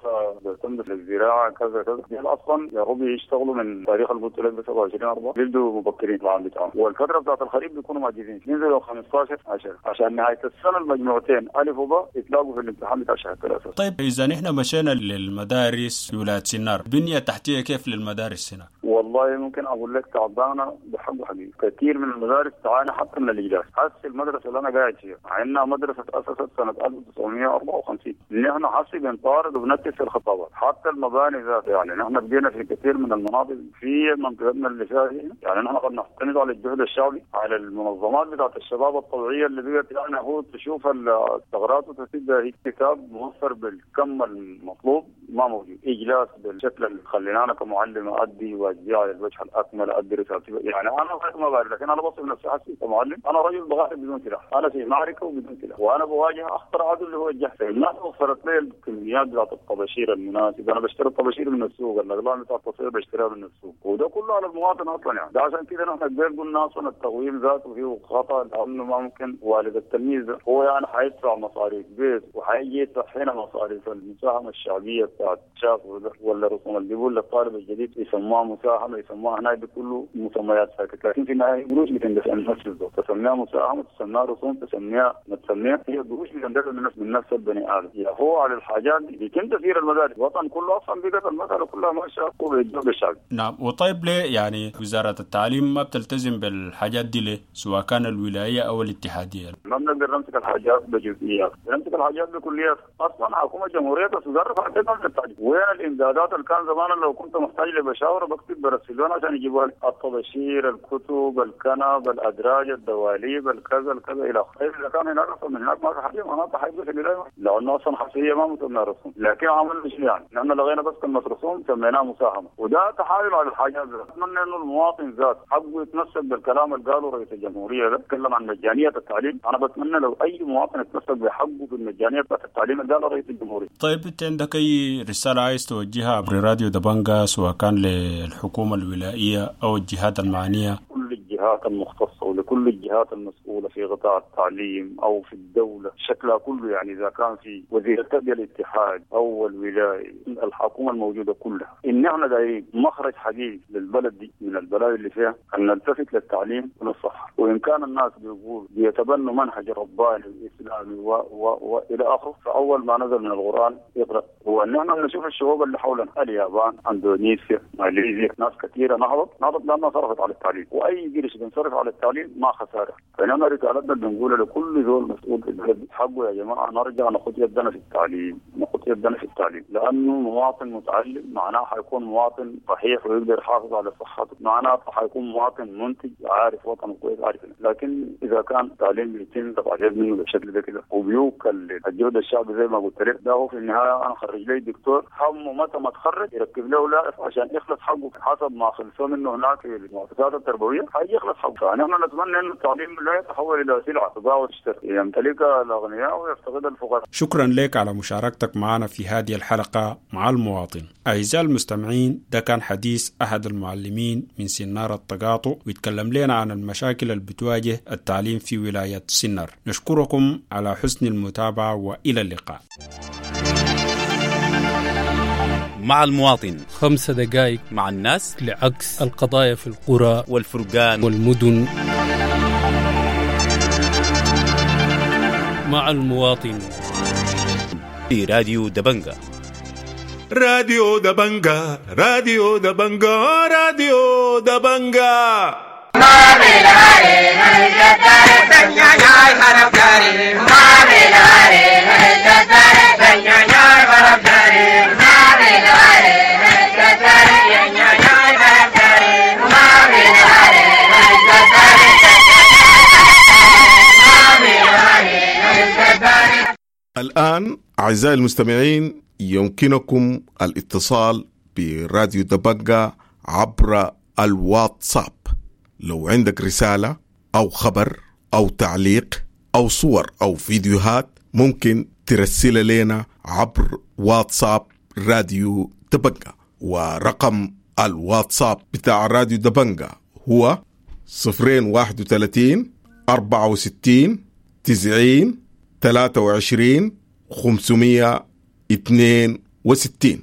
بيعتمدوا في الزراعة كذا كذا، دي اصلا يا رب يشتغلوا من تاريخ اللي قلت لك 27/4 بيبدوا مبكرين العام بتاعهم، والفترة بتاعت الخريف بيكونوا ماجزين ينزلوا 15/10 عشان نهاية السنة المجموعتين الف وباء يتلاقوا في الامتحان بتاع شهر 3. طيب اذا نحن مشينا للمدارس في ولاية سنار، بنيه تحتيه كيف للمدارس هنا؟ والله ممكن اقول لك تعبانة بحق حقيقي، كثير من المدارس المدارس تعاني حتى من الاجلاس. هسه المدرسة اللي انا قاعد فيها مع انها مدرسه تاسست سنة 1954، نحن حسي بنطارد وبنكتب في الخطابات، حتى المباني ذاتها. يعني نحن بدينا في كثير من المناطق في منطقتنا اللي فيها يعني نحن قد نعتمد على الجهد الشعبي، على المنظمات بتاعت الشباب الطبيعية اللي بقت يعني هو تشوف الثغرات وتسدها. هي كتاب موفر بالكم المطلوب ما موجود، اجلاس بالشكل اللي خلينا انا كمعلم ادي واجبي على الوجه الاكمل، ادي رسالتي. يعني انا ما بعرف، لكن انا بصف نفسي حسي كمعلم انا رجل بغارب بدون سلاح، انا في معركة وبدون سلاح، وانا بواجه اخطر عدو اللي هو الجهل. الناس وفرت لي الكميات بتاعت الطباشير المناسبة، انا بشتري الطباشير من السوق، الاقلام بتاعت التصوير بشتريها من السوق، وده كله على المواطن اصلا. يعني ده عشان كده نحن قبل قلنا اصلا التقويم ذاته فيه خطا، لانه ما ممكن والد التلميذ هو يعني حيدفع مصاريف بيت وحيجي يدفع هنا مصاريف المساهمة الشعبية بتاعت شاف ولا رسوم اللي بيقول للطالب الجديد يسموها مساهمة، يسموها هناك كله مسميات ساكت، لكن في النهاية قروش بتندفع من نفس الزول، تسميها مساهمة، تسميها رسوم، تسميها ما تسميها، هي قروش بتندفع من نفس البني ادم. يا هو على الحاجات دي بيتم تسيير المدارس، الوطن كله اصلا بقت المسالة كلها ماشية بالجهد الشعبي. نعم، وطيب ليه يعني وزارة التعليم ما بتلتزم بالحاجات دي ليه؟ سواء كان الولاية او الاتحادية؟ ما بنقدر نمسك الحاجات بجزئيات، بنمسك الحاجات بكليات. اصلا حكومة جمهورية السودان رفعت التعليم، وين الامدادات اللي كان زمان لو كنت محتاج لبشاوره بكتب برسلون عشان يجيبوها لي، الطباشير، الكتب، الكنب، الادراج، الدواليب، الكذا الكذا الى اخره. اذا كان هناك اصلا من هناك ما في حاجة معناتها حيبقى في الولاية، لانه اصلا حصرية ما مسمى رسوم، لكن عملنا شنو يعني؟ نحن لغينا بس كلمة رسوم سميناها مساهمة، وده تحايل على الحاجات ذات. اتمنى انه المواطن ذات حقه يتمسك بالكلام اللي قاله رئيس الجمهورية ده، تكلم عن مجانية التعليم، انا بتمنى لو اي مواطن يتمسك بحقه في المجانية بتاعت التعليم اللي قاله رئيس الجمهورية. طيب انت عندك اي رسالة عايز توجهها عبر راديو دبنجا سواء كان للحكومة الولائيه او الجهات المعنية؟ كل الجهات المختصة ولكل الجهات المسؤولة في قطاع التعليم او في الدولة شكلها كله، يعني اذا كان في وزير التربية الاتحاد او الولاية، الحكومة الموجودة كلها، ان احنا دايرين مخرج حقيقي للبلد دي من البلاوي اللي فيها، ان نلتفت للتعليم وللصحه، وان كان الناس بيقول بيتبنوا منهج رباني واسلامي والى اخره، فاول ما نزل من القران يقرا، هو ان احنا نشوف الشعوب اللي حولنا، اليابان، اندونيسيا، ماليزيا، ناس كثيرة نهضت لانها صرفت على التعليم، واي قرش بنصرف على التعليم ما خسارة. فنحن رسالتنا بنقولها لكل زول مسؤول في البلد، حقه يا جماعة نرجع ناخذ يدنا في التعليم، ناخذ يدنا في التعليم، لانه مواطن متعلم معناه حيكون مواطن صحيح ويقدر يحافظ على صحته، معناه حيكون مواطن منتج عارف وطنه كويس عارف. لكن اذا كان التعليم بيتم دفع منه بالشكل ده كده وبيوكل الجهد الشعبي زي ما قلت لك، ده هو في النهاية انا خرج لي دكتور همه متى ما تخرج يركب له لائف عشان يخلص حقه حسب ما خلصوه منه هناك في المؤسسات التربوية، حيجي يخلص حقه. فنحن نتمنى ان التعليم لا يتحول الى سلعه تباع وتشتري، يمتلكها الاغنياء ويفتقدها الفقراء. شكرا لك على مشاركتك معنا في هذه الحلقة مع المواطن. اعزائي المستمعين، ده كان حديث احد المعلمين من سنار التقاطع، ويتكلم لنا عن المشاكل اللي بتواجه التعليم في ولاية سنار. نشكركم على حسن المتابعة والى اللقاء. مع المواطن، 5 دقائق مع الناس، لعكس القضايا في القرى والفرقان والمدن. مع المواطن في راديو دبنجا. راديو دبنجا، راديو دبنجا، راديو دبنجا. الآن أعزائي المستمعين يمكنكم الاتصال براديو دبنجا عبر الواتساب. لو عندك رسالة أو خبر أو تعليق أو صور أو فيديوهات ممكن ترسلها لنا عبر واتساب راديو دبنجا، ورقم الواتساب بتاع راديو دبنجا هو 031 64 90 23 562.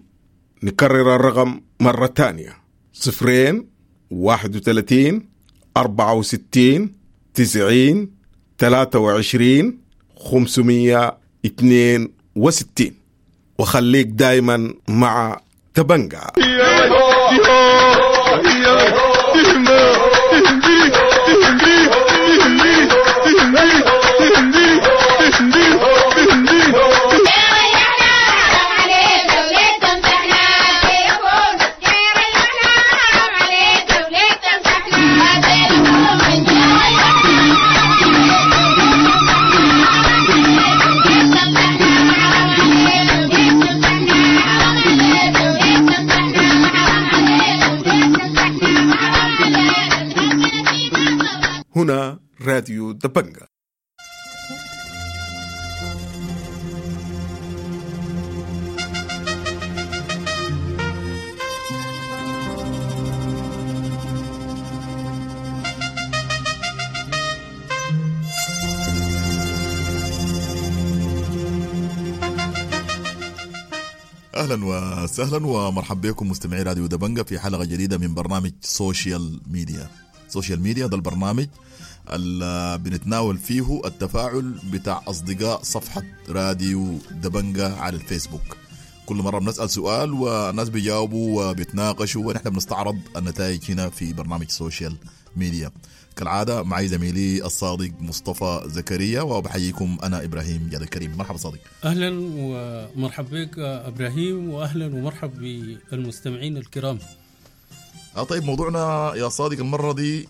نكرر الرقم مرة تانية: 0 31 64 90 23 562. وخليك دايما مع تبنجا. هنا راديو دبنجة. اهلا وسهلا ومرحبا بكم مستمعي راديو دبنجة في حلقة جديدة من برنامج social media. social media ده البرنامج اللي بنتناول فيه التفاعل بتاع اصدقاء صفحة راديو دبنجة على الفيسبوك. كل مرة بنسال سؤال والناس بيجاوبوا وبيتناقشوا، ونحن بنستعرض النتائج هنا في برنامج social media. كالعادة معي زميلي الصادق مصطفى زكريا، وبحييكم انا ابراهيم جاد الكريم. مرحبا صادق. اهلا ومرحبا بك ابراهيم، واهلا ومرحبا بالمستمعين الكرام. طيب، موضوعنا يا صادق المرة دي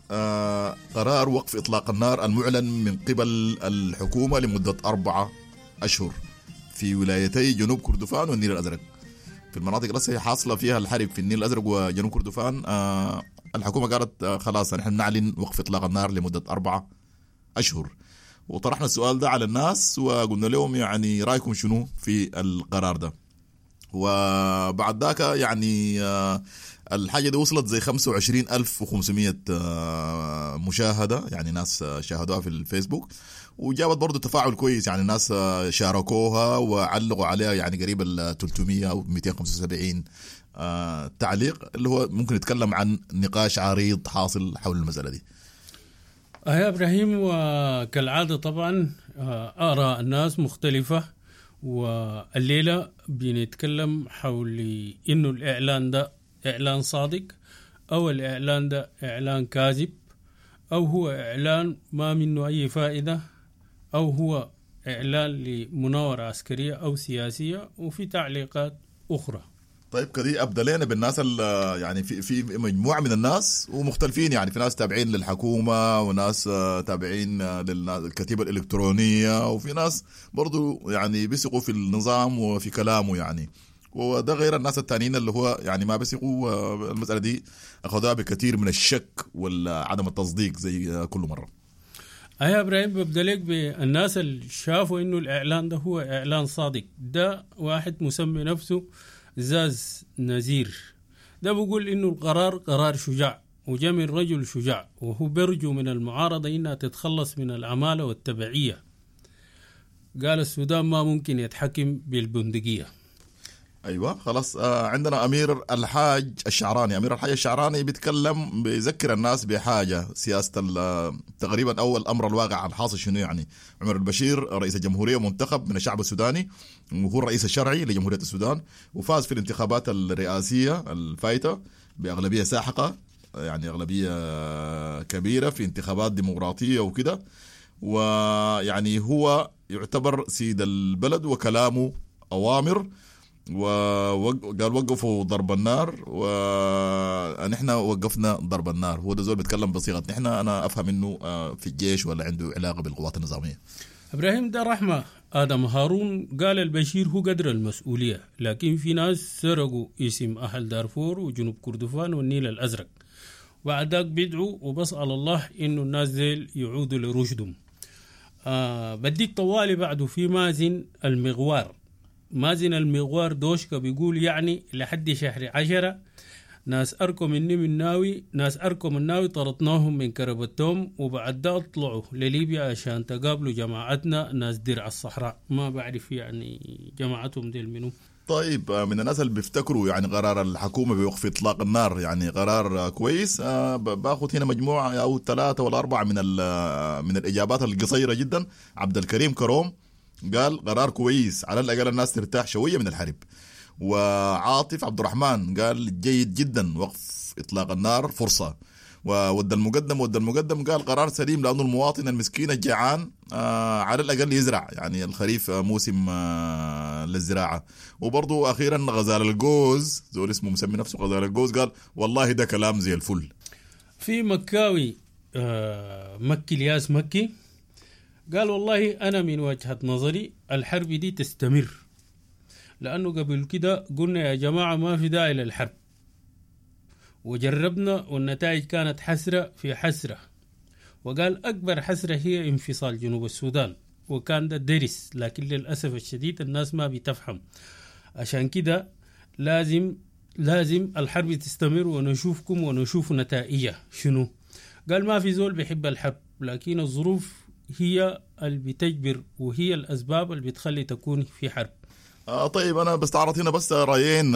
قرار وقف إطلاق النار المعلن من قبل الحكومة لمدة 4 أشهر في ولايتي جنوب كردفان والنيل الأزرق. في المناطق اللي حاصلة فيها الحرب في النيل الأزرق وجنوب كردفان، الحكومة قالت خلاص نحن نعلن وقف إطلاق النار لمدة 4 أشهر. وطرحنا السؤال ده على الناس وقلنا لهم يعني رأيكم شنو في القرار ده. وبعد ذاك يعني الحاجة دي وصلت زي 25,500 مشاهدة، يعني ناس شاهدوها في الفيسبوك، وجابت برضو تفاعل كويس، يعني الناس شاركوها وعلقوا عليها يعني قريب ال 300 أو 275 تعليق، اللي هو ممكن يتكلم عن نقاش عريض حاصل حول المسألة دي. يا إبراهيم، وكالعادة طبعا آراء الناس مختلفة، والليلة بنتكلم حول إنه الإعلان ده إعلان صادق أو الإعلان ده إعلان كاذب، أو هو إعلان ما منه أي فائدة، أو هو إعلان لمناورة عسكرية أو سياسية، وفي تعليقات أخرى. طيب كده أبدأ لنا بالناس يعني في مجموعة من الناس ومختلفين، يعني في ناس تابعين للحكومة وناس تابعين للكتيبة الإلكترونية، وفي ناس برضو يعني بيثقوا في النظام وفي كلامه يعني، وده غير الناس التانيين اللي هو يعني ما بيثقوا. المسألة دي أخذوها بكثير من الشك وعدم التصديق زي كل مرة. يا إبراهيم، ببدأ لك بالناس اللي شافوا إنه الإعلان ده هو إعلان صادق. ده واحد مسمي نفسه زاز نزير، ده بيقول إنه القرار قرار شجاع وجاء من رجل شجاع، وهو بيرجو من المعارضة إنها تتخلص من العمالة والتبعية. قال السودان ما ممكن يتحكم بالبندقية. ايوه خلاص. عندنا امير الحاج الشعراني. امير الحاج الشعراني بيتكلم، بيذكر الناس بحاجة سياسة تقريبا اول امر الواقع الحاصل شنو يعني. عمر البشير رئيس الجمهورية منتخب من الشعب السوداني، وهو الرئيس الشرعي لجمهوريه السودان، وفاز في الانتخابات الرئاسية الفايته باغلبيه ساحقة، يعني اغلبية كبيرة في انتخابات ديمقراطية وكده، ويعني هو يعتبر سيد البلد وكلامه اوامر. وقال وقفوا ضرب النار، ونحن وقفنا ضرب النار. هو ده زول بيتكلم بصيغة نحن، انا افهم انه في الجيش ولا عنده علاقة بالقوات النظامية. ابراهيم، ده رحمه ادم هارون قال البشير هو قدر المسؤولية، لكن في ناس سرقوا اسم اهل دارفور وجنوب كردفان والنيل الازرق، بعد ذاك بيدعوا وبسأل الله انه الناس ديل يعودوا لرشدهم. بديك طوالي بعده في مازن المغوار. مازن المغوار دوشكا بيقول يعني لحد شهر 10 ناس أركم مني من ناوي، ناس أركم الناوي طردناهم من كربتهم، وبعد ده طلعوا لليبيا عشان تقابلوا جماعتنا ناس درع الصحراء. ما بعرف يعني جماعتهم ديل منو. طيب، من الناس اللي بيفتكروا يعني قرار الحكومة بوقف إطلاق النار يعني قرار كويس، باخذ هنا مجموعة أو 3 ولا 4 من الإجابات القصيرة جدا. عبد الكريم كروم قال قرار كويس، على الأقل الناس ترتاح شوية من الحرب. وعاطف عبد الرحمن قال جيد جدا، وقف إطلاق النار فرصة. وود المقدم، ود المقدم قال قرار سليم، لأنه المواطن المسكين الجعان على الأقل يزرع، يعني الخريف موسم للزراعة. وبرضو أخيرا غزال الجوز، زول اسمه مسمي نفسه غزال الجوز، قال والله ده كلام زي الفل. في مكاوي مكي الياس مكي قال والله أنا من وجهة نظري الحرب دي تستمر، لأنه قبل كده قلنا يا جماعة ما في داعي للحرب، وجربنا والنتائج كانت حسرة في حسرة، وقال أكبر حسرة هي انفصال جنوب السودان، وكان ده درس، لكن للأسف الشديد الناس ما بتفهم. عشان كده لازم الحرب تستمر ونشوفكم ونشوف نتائجها شنو. قال ما في زول بيحب الحرب، لكن الظروف هي اللي بتجبر وهي الأسباب اللي بتخلي تكون في حرب. طيب أنا بستعرض هنا بس رأيين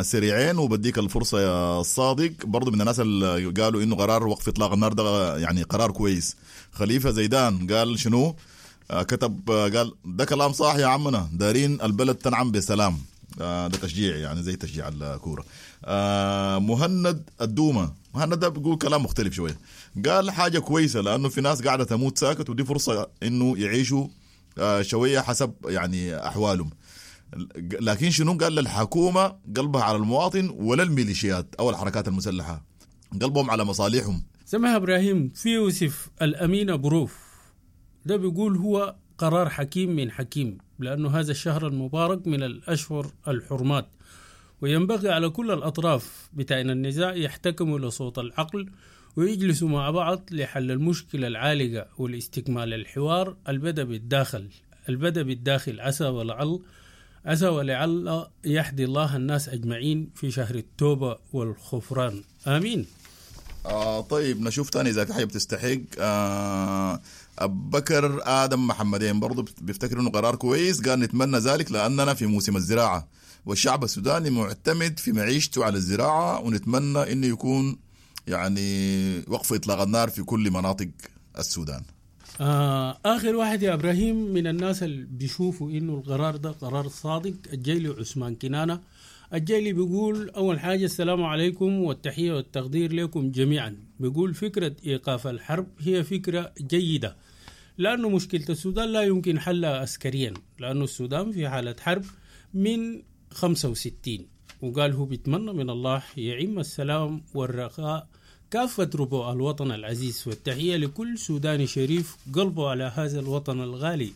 سريعين وبديك الفرصة يا الصادق. برضو من الناس اللي قالوا إنه قرار وقف إطلاق النار ده يعني قرار كويس. خليفة زيدان قال شنو؟ كتب قال ده كلام صح يا عمنا، دارين البلد تنعم بسلام. ده تشجيع يعني زي تشجيع الكورة. مهند الدومة، مهند ده بيقول كلام مختلف شوية، قال حاجة كويسة لأنه في ناس قاعدة تموت ساكت، ودي فرصة إنه يعيشوا شوية حسب يعني أحوالهم. لكن شنو قال؟ للحكومة قلبها على المواطن ولا الميليشيات أو الحركات المسلحة، قلبهم على مصالحهم. سمح إبراهيم. في يوسف الأمين بروف ده بيقول هو قرار حكيم من حكيم، لأنه هذا الشهر المبارك من الأشهر الحرمات، وينبغي على كل الأطراف بتاعنا النزاع يحتكموا لصوت العقل ويجلسوا مع بعض لحل المشكلة العالقة والاستكمال الحوار البدأ بالداخل، عسى ولعل يهدي الله الناس أجمعين في شهر التوبة والغفران، آمين. طيب نشوف تاني إذا في حاجة بتستحق. أبو بكر آدم محمدين برضو بيفتكر إنه قرار كويس، قال نتمنى ذلك لأننا في موسم الزراعة والشعب السوداني معتمد في معيشته على الزراعة، ونتمنى إنه يكون يعني وقف إطلاق النار في كل مناطق السودان. آخر واحد يا إبراهيم من الناس اللي بيشوفوا إنه القرار ده قرار صادق، الجيلي عثمان كنانة. الجيلي بيقول أول حاجة السلام عليكم والتحية والتقدير لكم جميعا. بيقول فكرة إيقاف الحرب هي فكرة جيدة، لأنه مشكلة السودان لا يمكن حلها عسكريا، لأنه السودان في حالة حرب من 65. وقال هو بيتمنى من الله يعم السلام والرخاء كافة ربوع الوطن العزيز، والتحية لكل سوداني شريف قلبه على هذا الوطن الغالي.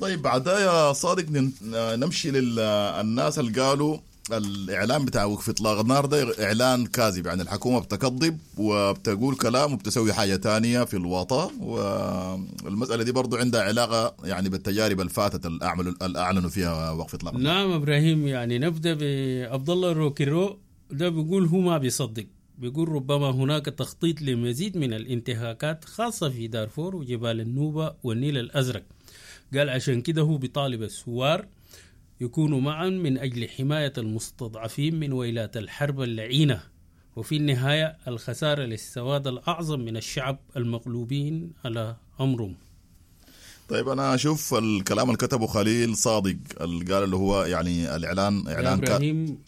طيب بعدها يا صادق نمشي للناس اللي قالوا الإعلان بتاع وقف إطلاق النار ده إعلان كاذب، يعني الحكومة بتكذب وبتقول كلام وبتسوي حاجة تانية في الوطن، والمسألة دي برضو عندها علاقة يعني بالتجارب الفاتت اللي أعلنوا فيها وقف إطلاق النار. نعم إبراهيم، يعني نبدأ بعبد الله روكيرو. ده بيقول هو ما بيصدق، بيقول ربما هناك تخطيط لمزيد من الانتهاكات خاصة في دارفور وجبال النوبة والنيل الأزرق. قال عشان كده هو بيطالب الثوار يكونوا معا من أجل حماية المستضعفين من ويلات الحرب اللعينة، وفي النهاية الخسارة للسواد الأعظم من الشعب المغلوبين على أمرهم. طيب أنا أشوف الكلام اللي كتبه خليل صادق اللي قال اللي هو يعني الإعلان إعلان إبراهيم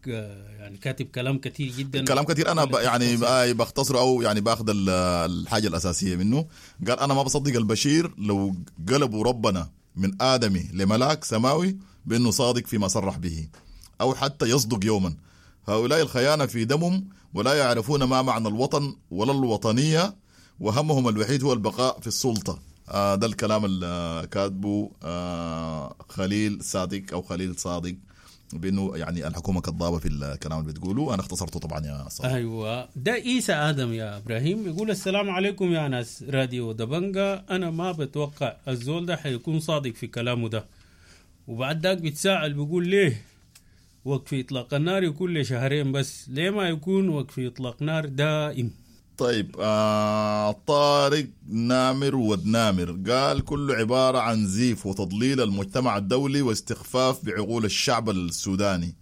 يعني كاتب كلام كثير جدا، كلام كثير. أنا يعني بختصره أو يعني باخذ الحاجة الأساسية منه. قال أنا ما بصدق البشير لو قلبوا ربنا من آدمي لملاك سماوي بأنه صادق فيما صرح به، أو حتى يصدق يوما. هؤلاء الخيانة في دمهم ولا يعرفون ما معنى الوطن ولا الوطنية، وهمهم الوحيد هو البقاء في السلطة. ده الكلام اللي كاتبه خليل صادق أو خليل صادق، بأنه يعني الحكومة كذابة في الكلام اللي بتقوله. أنا اختصرته طبعا يا صادق. أيوة ده إيسا آدم يا إبراهيم يقول السلام عليكم يا ناس راديو دبنجا، أنا ما بتوقع الزول ده حيكون صادق في كلامه ده. وبعد ذاك بيتساءل بيقول ليه وقف إطلاق النار يكون لشهرين بس، ليه ما يكون وقف إطلاق نار دائم؟ طيب طارق نامر ودنامر قال كله عبارة عن زيف وتضليل المجتمع الدولي واستخفاف بعقول الشعب السوداني.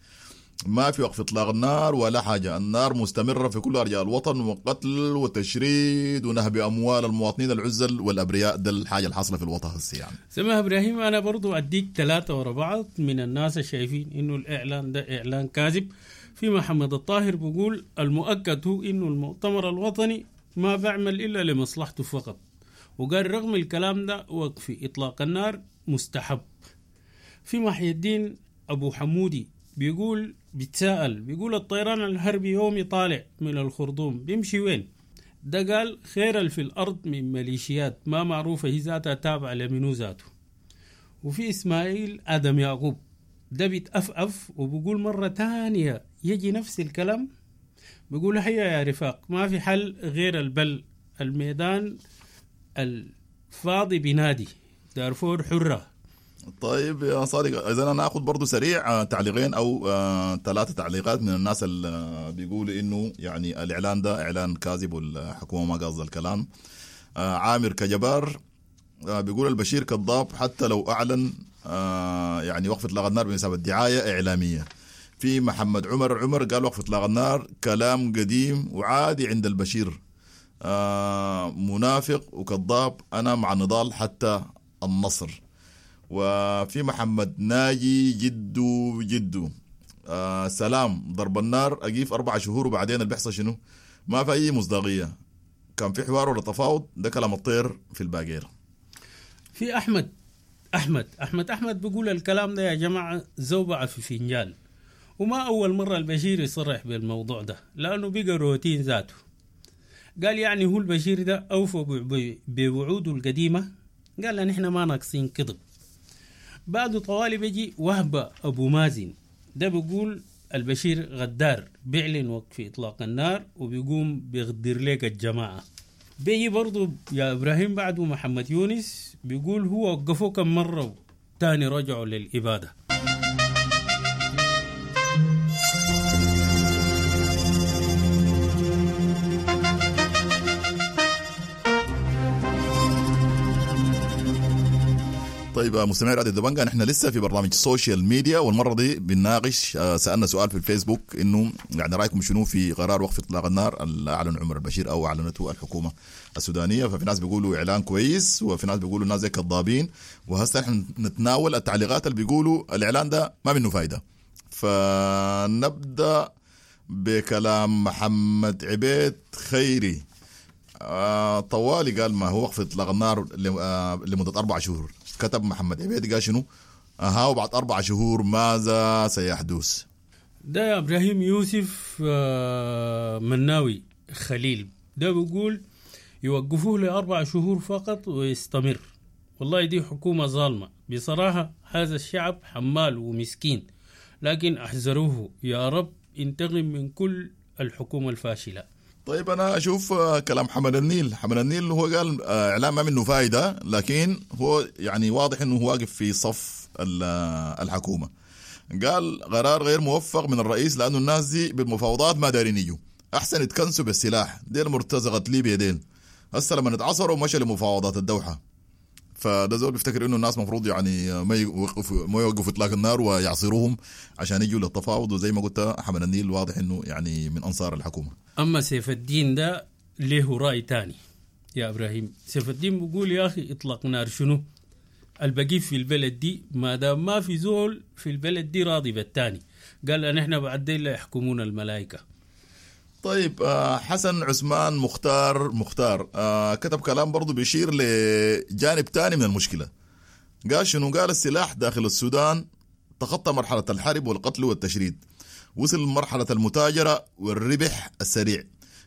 ما في وقف إطلاق النار ولا حاجة، النار مستمرة في كل أرجاء الوطن، وقتل وتشريد ونهب أموال المواطنين العزل والأبرياء. ده الحاجة الحاصلة في الوطن هسه يعني. سمع إبراهيم، أنا برضو أديك 3 ورا بعض من الناس الشايفين إنه الإعلان ده إعلان كاذب. في محمد الطاهر بيقول المؤكد هو إنه المؤتمر الوطني ما بعمل إلا لمصلحته فقط، وقال رغم الكلام ده وقف إطلاق النار مستحب. في محي الدين أبو حمودي بيقول بيتساءل بيقول الطيران الحربي يومي طالع من الخرطوم بيمشي وين؟ ده قال خير في الأرض من ميليشيات ما معروفة هي ذاتها تابعة لمنو ذاته. وفي إسماعيل آدم يعقوب ده بيتأفأف وبيقول مرة تانية يجي نفس الكلام، بيقول هيا يا رفاق ما في حل غير البل الميدان الفاضي بنادي دارفور حرة. طيب يا صادق، اذا انا اخذ برضو سريع تعليقين او 3 تعليقات من الناس اللي بيقولوا انه يعني الاعلان ده اعلان كاذب والحكومة ما قاصده الكلام. عامر كجبار بيقول البشير كذاب حتى لو اعلن يعني وقف اطلاق النار بمثابة دعاية اعلامية. في محمد عمر قال وقف اطلاق النار كلام قديم وعادي عند البشير، منافق وكذاب، انا مع النضال حتى النصر. وفي محمد ناجي جدو سلام، ضرب النار أقيف 4 شهور وبعدين اللي بيحصل شنو؟ ما في أي مصداقية، كان في حوار ولا تفاوض، ده كلام الطير في الباقير. في أحمد أحمد أحمد أحمد بيقول الكلام ده يا جماعة زوبعة في فنجان، وما أول مرة البشير يصرح بالموضوع ده لأنه بقى روتين ذاته. قال يعني هو البشير ده أوفى بوعوده القديمة، قال نحن ما ناقصين كذب. بعد طوالي بيجي وهبة أبو مازن، ده بيقول البشير غدار، بيعلن وقف إطلاق النار وبيقوم بيغدر لك الجماعة. بيجي برضو يا إبراهيم بعده محمد يونس بيقول هو وقفوه كم مرة تاني رجعوا للإبادة. طيب مستمعي راديو دبنجا، نحن لسه في برنامج social media، والمرة دي بنناقش سالنا سؤال في الفيسبوك انه يعني رايكم شنو في قرار وقف اطلاق النار اللي اعلن عمر البشير او اعلنته الحكومة السودانية. ففي ناس بيقولوا اعلان كويس، وفي ناس بيقولوا الناس زي كذابين، وهسه نحن نتناول التعليقات اللي بيقولوا الاعلان ده ما منه فايده. فنبدا بكلام محمد عبيد خيري. طوالي قال ما هو وقف اطلاق النار لمدة 4 شهور. كتب محمد عبيد قال شنو؟ وبعد 4 شهور ماذا سيحدث؟ ده يا ابراهيم يوسف مناوي خليل، ده بيقول يوقفوه ل4 شهور فقط ويستمر. والله دي حكومة ظالمة بصراحة، هذا الشعب حمال ومسكين، لكن احذروه يا رب انتقم من كل الحكومة الفاشلة. طيب أنا أشوف كلام حمل النيل. حمل النيل هو قال إعلام ما منه فايدة، لكن هو يعني واضح أنه هو واقف في صف الحكومة. قال قرار غير موفق من الرئيس لأنه الناس دي بالمفاوضات ما دارين يجوا، أحسن يتكنسوا بالسلاح، ديل مرتزقة ليبيا ديل، هسه لما نتعصروا مشى لمفاوضات الدوحة. فده زول بيفتكر انه الناس مفروض يعني ما يوقفوا اطلاق النار ويعصروهم عشان يجوا للتفاوض، وزي ما قلت حمل النيل واضح انه يعني من انصار الحكومة. اما سيف الدين ده له راي تاني يا ابراهيم. سيف الدين بيقول يا اخي اطلاق نار شنو؟ البقي في البلد دي ما دام ما في زول في البلد دي راضي بالتاني. قال ان احنا بعدين لا يحكمون الملائكة. طيب حسن عثمان مختار كتب كلام برضو بيشير لجانب تاني من المشكلة. قال شنو؟ قال السلاح داخل السودان تخطى مرحلة الحرب والقتل والتشريد، وصل مرحلة المتاجرة والربح السريع،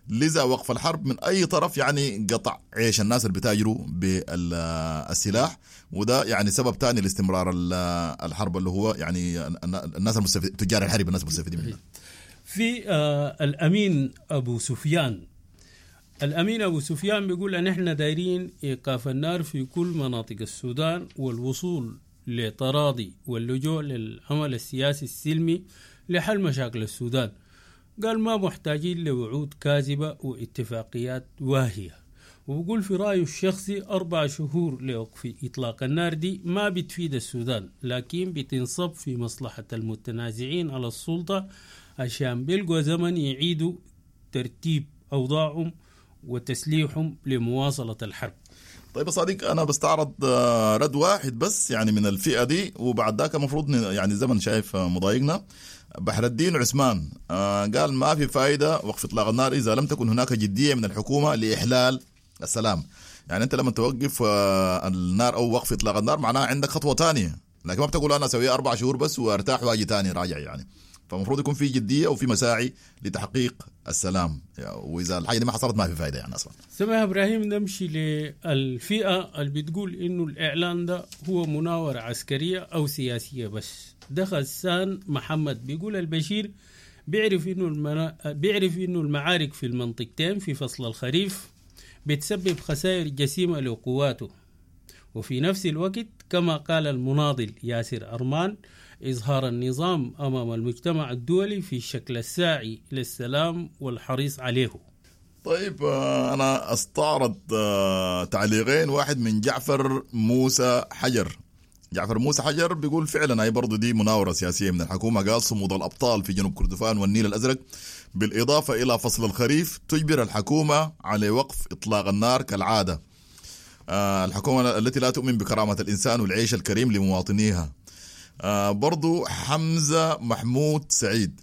لذا وقف الحرب من أي طرف يعني قطع عيش الناس اللي بتاجروا بالسلاح، وده يعني سبب تاني لاستمرار الحرب اللي هو يعني الناس المستفيد، تجار الحرب الناس المستفيدين منها. في الأمين أبو سفيان، الأمين أبو سفيان بيقول أن إحنا دايرين إيقاف النار في كل مناطق السودان والوصول لتراضي واللجوء للعمل السياسي السلمي لحل مشاكل السودان. قال ما محتاجين لوعود كاذبة واتفاقيات واهية. وبقول في رأيه الشخصي 4 شهور لوقف إطلاق النار دي ما بتفيد السودان، لكن بتنصب في مصلحة المتنازعين على السلطة عشان بيلقوا زمن يعيدوا ترتيب أوضاعهم وتسليحهم لمواصلة الحرب. طيب يا صديق، أنا بستعرض رد واحد بس يعني من الفئة دي، وبعد ذاك المفروض يعني زمن شايف مضايقنا. بحر الدين عثمان قال ما في فائدة وقف إطلاق النار إذا لم تكن هناك جدية من الحكومة لإحلال السلام. يعني أنت لما توقف النار أو وقف إطلاق النار معناها عندك خطوة تانية، لكن ما بتقول أنا أسوي 4 شهور بس وأرتاح وأجي تاني راجع يعني. فالمفروض يكون في جدية وفي مساعي لتحقيق السلام، يعني وإذا الحاجة دي ما حصلت ما في فائدة يعني أصلا. سمع إبراهيم، نمشي للفئة اللي بتقول إنه الإعلان ده هو مناورة عسكرية أو سياسية بس. ده غسان محمد بيقول البشير بيعرف إنه المعارك في المنطقتين في فصل الخريف بتسبب خسائر جسيمة لقواته. وفي نفس الوقت كما قال المناضل ياسر أرمان، إظهار النظام أمام المجتمع الدولي في شكل الساعي للسلام والحريص عليه. طيب أنا أستعرض تعليقين، واحد من جعفر موسى حجر. جعفر موسى حجر بيقول فعلا هي برضو دي مناورة سياسية من الحكومة. قال صمود الأبطال في جنوب كردفان والنيل الأزرق بالإضافة إلى فصل الخريف تجبر الحكومة على وقف إطلاق النار كالعادة. الحكومة التي لا تؤمن بكرامة الإنسان والعيش الكريم لمواطنيها. برضو حمزة محمود سعيد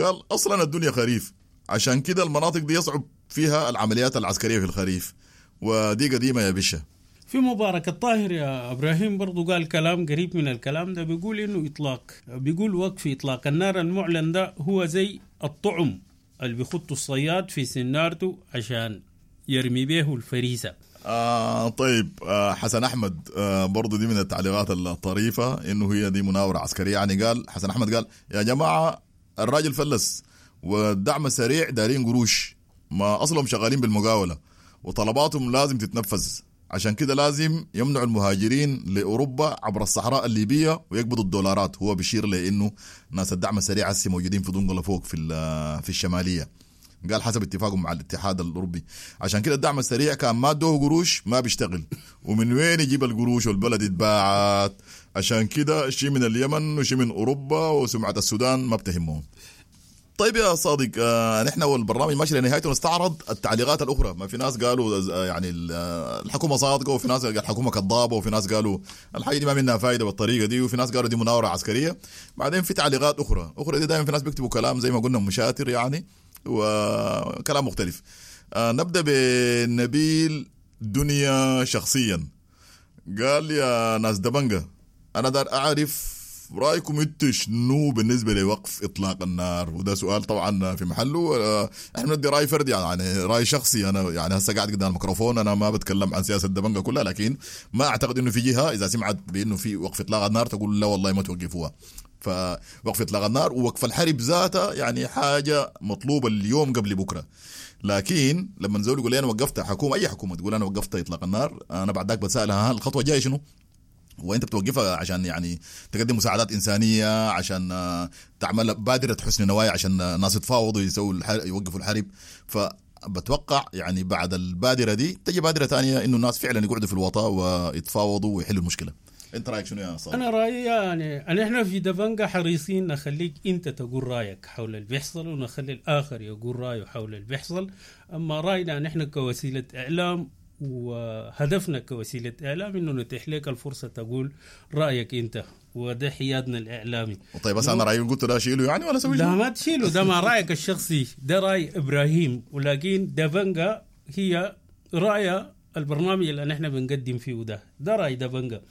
قال أصلا الدنيا خريف، عشان كده المناطق دي يصعب فيها العمليات العسكرية في الخريف، ودي قديمة يا بشة. في مبارك الطاهر يا إبراهيم برضو قال كلام قريب من الكلام ده، بيقول إنه إطلاق، بيقول وقف إطلاق النار المعلن ده هو زي الطعم اللي بيخطه الصياد في سنارته عشان يرمي به الفريسة. طيب حسن أحمد برضو دي من التعليقات الطريفة، إنه هي دي مناورة عسكرية. يعني قال حسن أحمد، قال يا جماعة الراجل فلس والدعم السريع دارين قروش، ما أصلهم شغالين بالمقاولة وطلباتهم لازم تتنفذ، عشان كده لازم يمنعوا المهاجرين لأوروبا عبر الصحراء الليبية ويقبضوا الدولارات. هو بيشير لأنه ناس الدعم السريع هسه موجودين في دنقلة فوق في الشمالية، قال حسب اتفاقهم مع الاتحاد الأوروبي، عشان كده الدعم السريع كان ما ادوه قروش ما بيشتغل، ومن وين يجيب القروش والبلد اتباعت؟ عشان كده شيء من اليمن وشيء من أوروبا، وسمعة السودان ما بتهمهم. طيب يا صادق، نحن والبرنامج ماشي لنهايته، نستعرض التعليقات الأخرى. ما في ناس قالوا يعني الحكومة صادقة، وفي ناس قالوا الحكومة كذابة، وفي ناس قالوا الحاجة دي ما منها فايدة بالطريقة دي، وفي ناس قالوا دي مناورة عسكرية. بعدين في تعليقات أخرى دي دائما في ناس بيكتبوا كلام زي ما قلنا مشاتر يعني، وكلام مختلف. نبدأ بنبيل دنيا شخصيا، قال يا ناس دبنجة أنا دار أعرف رأيكم انتوا شنو بالنسبة لوقف إطلاق النار؟ وده سؤال طبعا في محله. احنا بندي رأي فردي يعني رأي شخصي. أنا يعني هسه قاعد قدام الميكروفون، أنا ما بتكلم عن سياسة دبنجة كلها، لكن ما أعتقد إنه في جهة إذا سمعت بإنه في وقف إطلاق النار تقول لا والله ما توقفوها. فوقف إطلاق النار ووقف الحرب ذاتها يعني حاجة مطلوبة اليوم قبل بكرة. لكن لما نزول يقول لي أنا وقفت حكومة، أي حكومة تقول أنا وقفت إطلاق النار، أنا بعد ذاك بسألها الخطوة الجاية شنو؟ وانت بتوقفها عشان يعني تقدم مساعدات انسانيه، عشان تعمل بادره حسن نوايا، عشان الناس يتفاوضوا يسووا يوقفوا الحرب. فبتوقع يعني بعد البادرة دي تجي بادره ثانية انه الناس فعلا يقعدوا في الوطا ويتفاوضوا ويحلوا المشكلة. انت رايك شنو يا صالح؟ انا رايي يعني احنا في دبنجة حريصين نخليك انت تقول رايك حول اللي بيحصل، ونخلي الاخر يقول رايه حول اللي بيحصل. اما راينا نحن كوسيلة اعلام وهدفنا كوسيلة إعلام إنه نتيح لك الفرصة تقول رأيك أنت، وده حيادنا الإعلامي. طيب بس أنا رأيي قلت لا شيله يعني ولا سوي؟ لا ما تشيله، ده ما رأيك الشخصي، ده رأي إبراهيم، ولكن دبنجة هي رأي البرنامج اللي نحن بنقدم فيه، ده رأي دبنجة.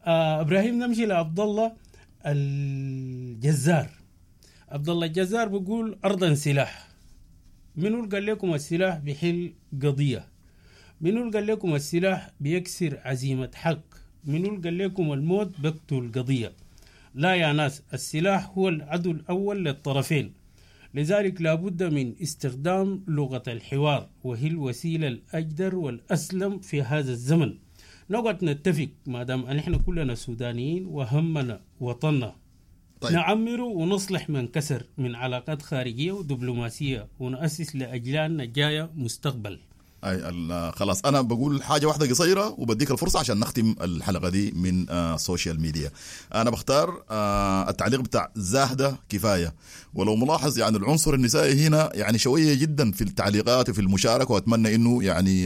إبراهيم نمشي لعبد الله الجزار. عبد الله الجزار بيقول أرضا سلاح. منو قال لكم السلاح بيحل قضية؟ منو قال لكم السلاح بيكسر عزيمة حق؟ منو قال لكم الموت بقتل قضية؟ لا يا ناس، السلاح هو العدو الأول للطرفين، لذلك لابد من استخدام لغة الحوار، وهي الوسيلة الأجدر والأسلم في هذا الزمن. نقعد نتفق ما دام نحن كلنا سودانيين وهمنا وطننا. طيب. نعمر ونصلح من كسر من علاقات خارجية ودبلوماسية، ونؤسس لأجيالنا الجاية مستقبل. أي خلاص أنا بقول حاجة واحدة قصيرة وبديك الفرصة عشان نختم الحلقة دي من ال social media. أنا بختار التعليق بتاع زاهدة كفاية. ولو ملاحظ يعني العنصر النسائي هنا يعني شوية جدا في التعليقات وفي المشاركة، وأتمنى إنه يعني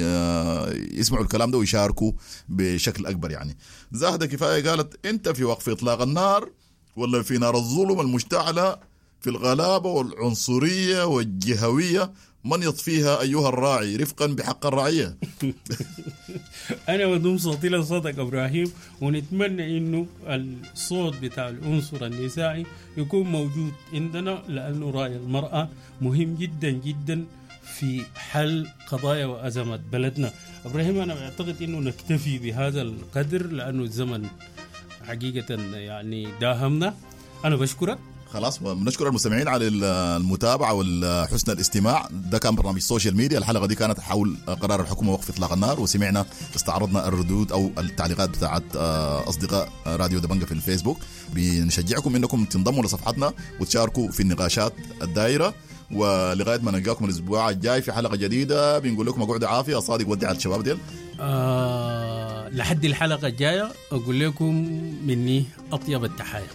يسمعوا الكلام ده ويشاركوا بشكل أكبر. يعني زاهدة كفاية قالت أنت في وقف إطلاق النار ولا في نار الظلم المشتعلة في الغلابة والعنصرية والجهوية، من يطفيها أيها الراعي رفقا بحق الرعية. أنا بدوم صوتي لصوتك إبراهيم، ونتمنى إنه الصوت بتاع العنصر النسائي يكون موجود عندنا، لأنه رأي المرأة مهم جدا جدا في حل قضايا وأزمات بلدنا. إبراهيم أنا أعتقد إنه نكتفي بهذا القدر لأنه الزمن حقيقة يعني داهمنا. أنا بشكرك. خلاص، بنشكر المستمعين على المتابعة وحسن الاستماع. ده كان برنامج social media. الحلقة دي كانت حول قرار الحكومة وقف اطلاق النار، وسمعنا استعرضنا الردود او التعليقات بتاعت اصدقاء راديو دبنجة في الفيسبوك. بنشجعكم انكم تنضموا لصفحتنا وتشاركوا في النقاشات الدائرة. ولغاية ما نلقاكم الاسبوع الجاي في حلقة جديدة، بنقول لكم اقعدوا عافية. صادق ودع الشباب ديل. لحد الحلقة الجاية اقول لكم مني اطيب التحايا.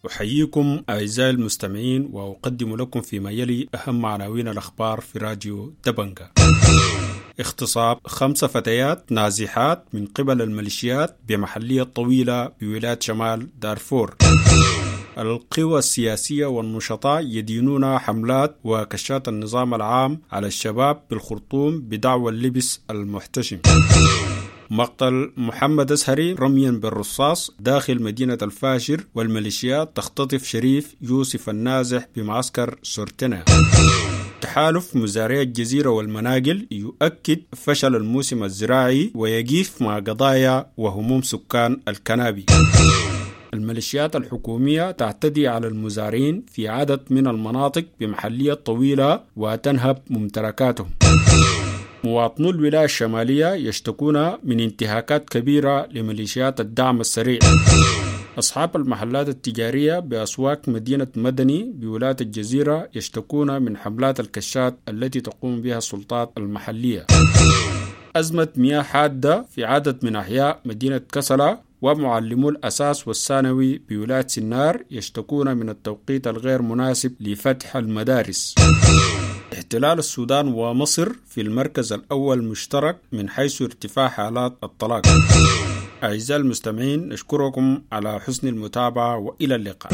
أحييكم أعزائي المستمعين، وأقدم لكم فيما يلي أهم عناوين الأخبار في راديو دبنجة. اغتصاب 5 فتيات نازحات من قبل الميليشيات بمحلية طويلة بولاية شمال دارفور. القوى السياسية والنشطاء يدينون حملات وكشات النظام العام على الشباب بالخرطوم بدعوى اللبس المحتشم. مقتل محمد أزهري رميا بالرصاص داخل مدينة الفاشر، والميليشيات تختطف شريف يوسف النازح بمعسكر سورتنا. تحالف مزارعي الجزيرة والمناقل يؤكد فشل الموسم الزراعي ويقف مع قضايا وهموم سكان الكنابي. الميليشيات الحكومية تعتدي على المزارعين في عدد من المناطق بمحلية طويلة وتنهب ممتلكاتهم. مواطنو الولاية الشمالية يشتكون من انتهاكات كبيرة لميليشيات الدعم السريع. أصحاب المحلات التجارية بأسواق مدينة مدني بولاية الجزيرة يشتكون من حملات الكشات التي تقوم بها السلطات المحلية. أزمة مياه حادة في عدد من أحياء مدينة كسلة، ومعلمو الأساس والثانوي بولاية سنار يشتكون من التوقيت الغير مناسب لفتح المدارس. احتلال السودان ومصر في المركز الأول مشترك من حيث ارتفاع حالات الطلاق. أعزائي المستمعين، نشكركم على حسن المتابعة وإلى اللقاء.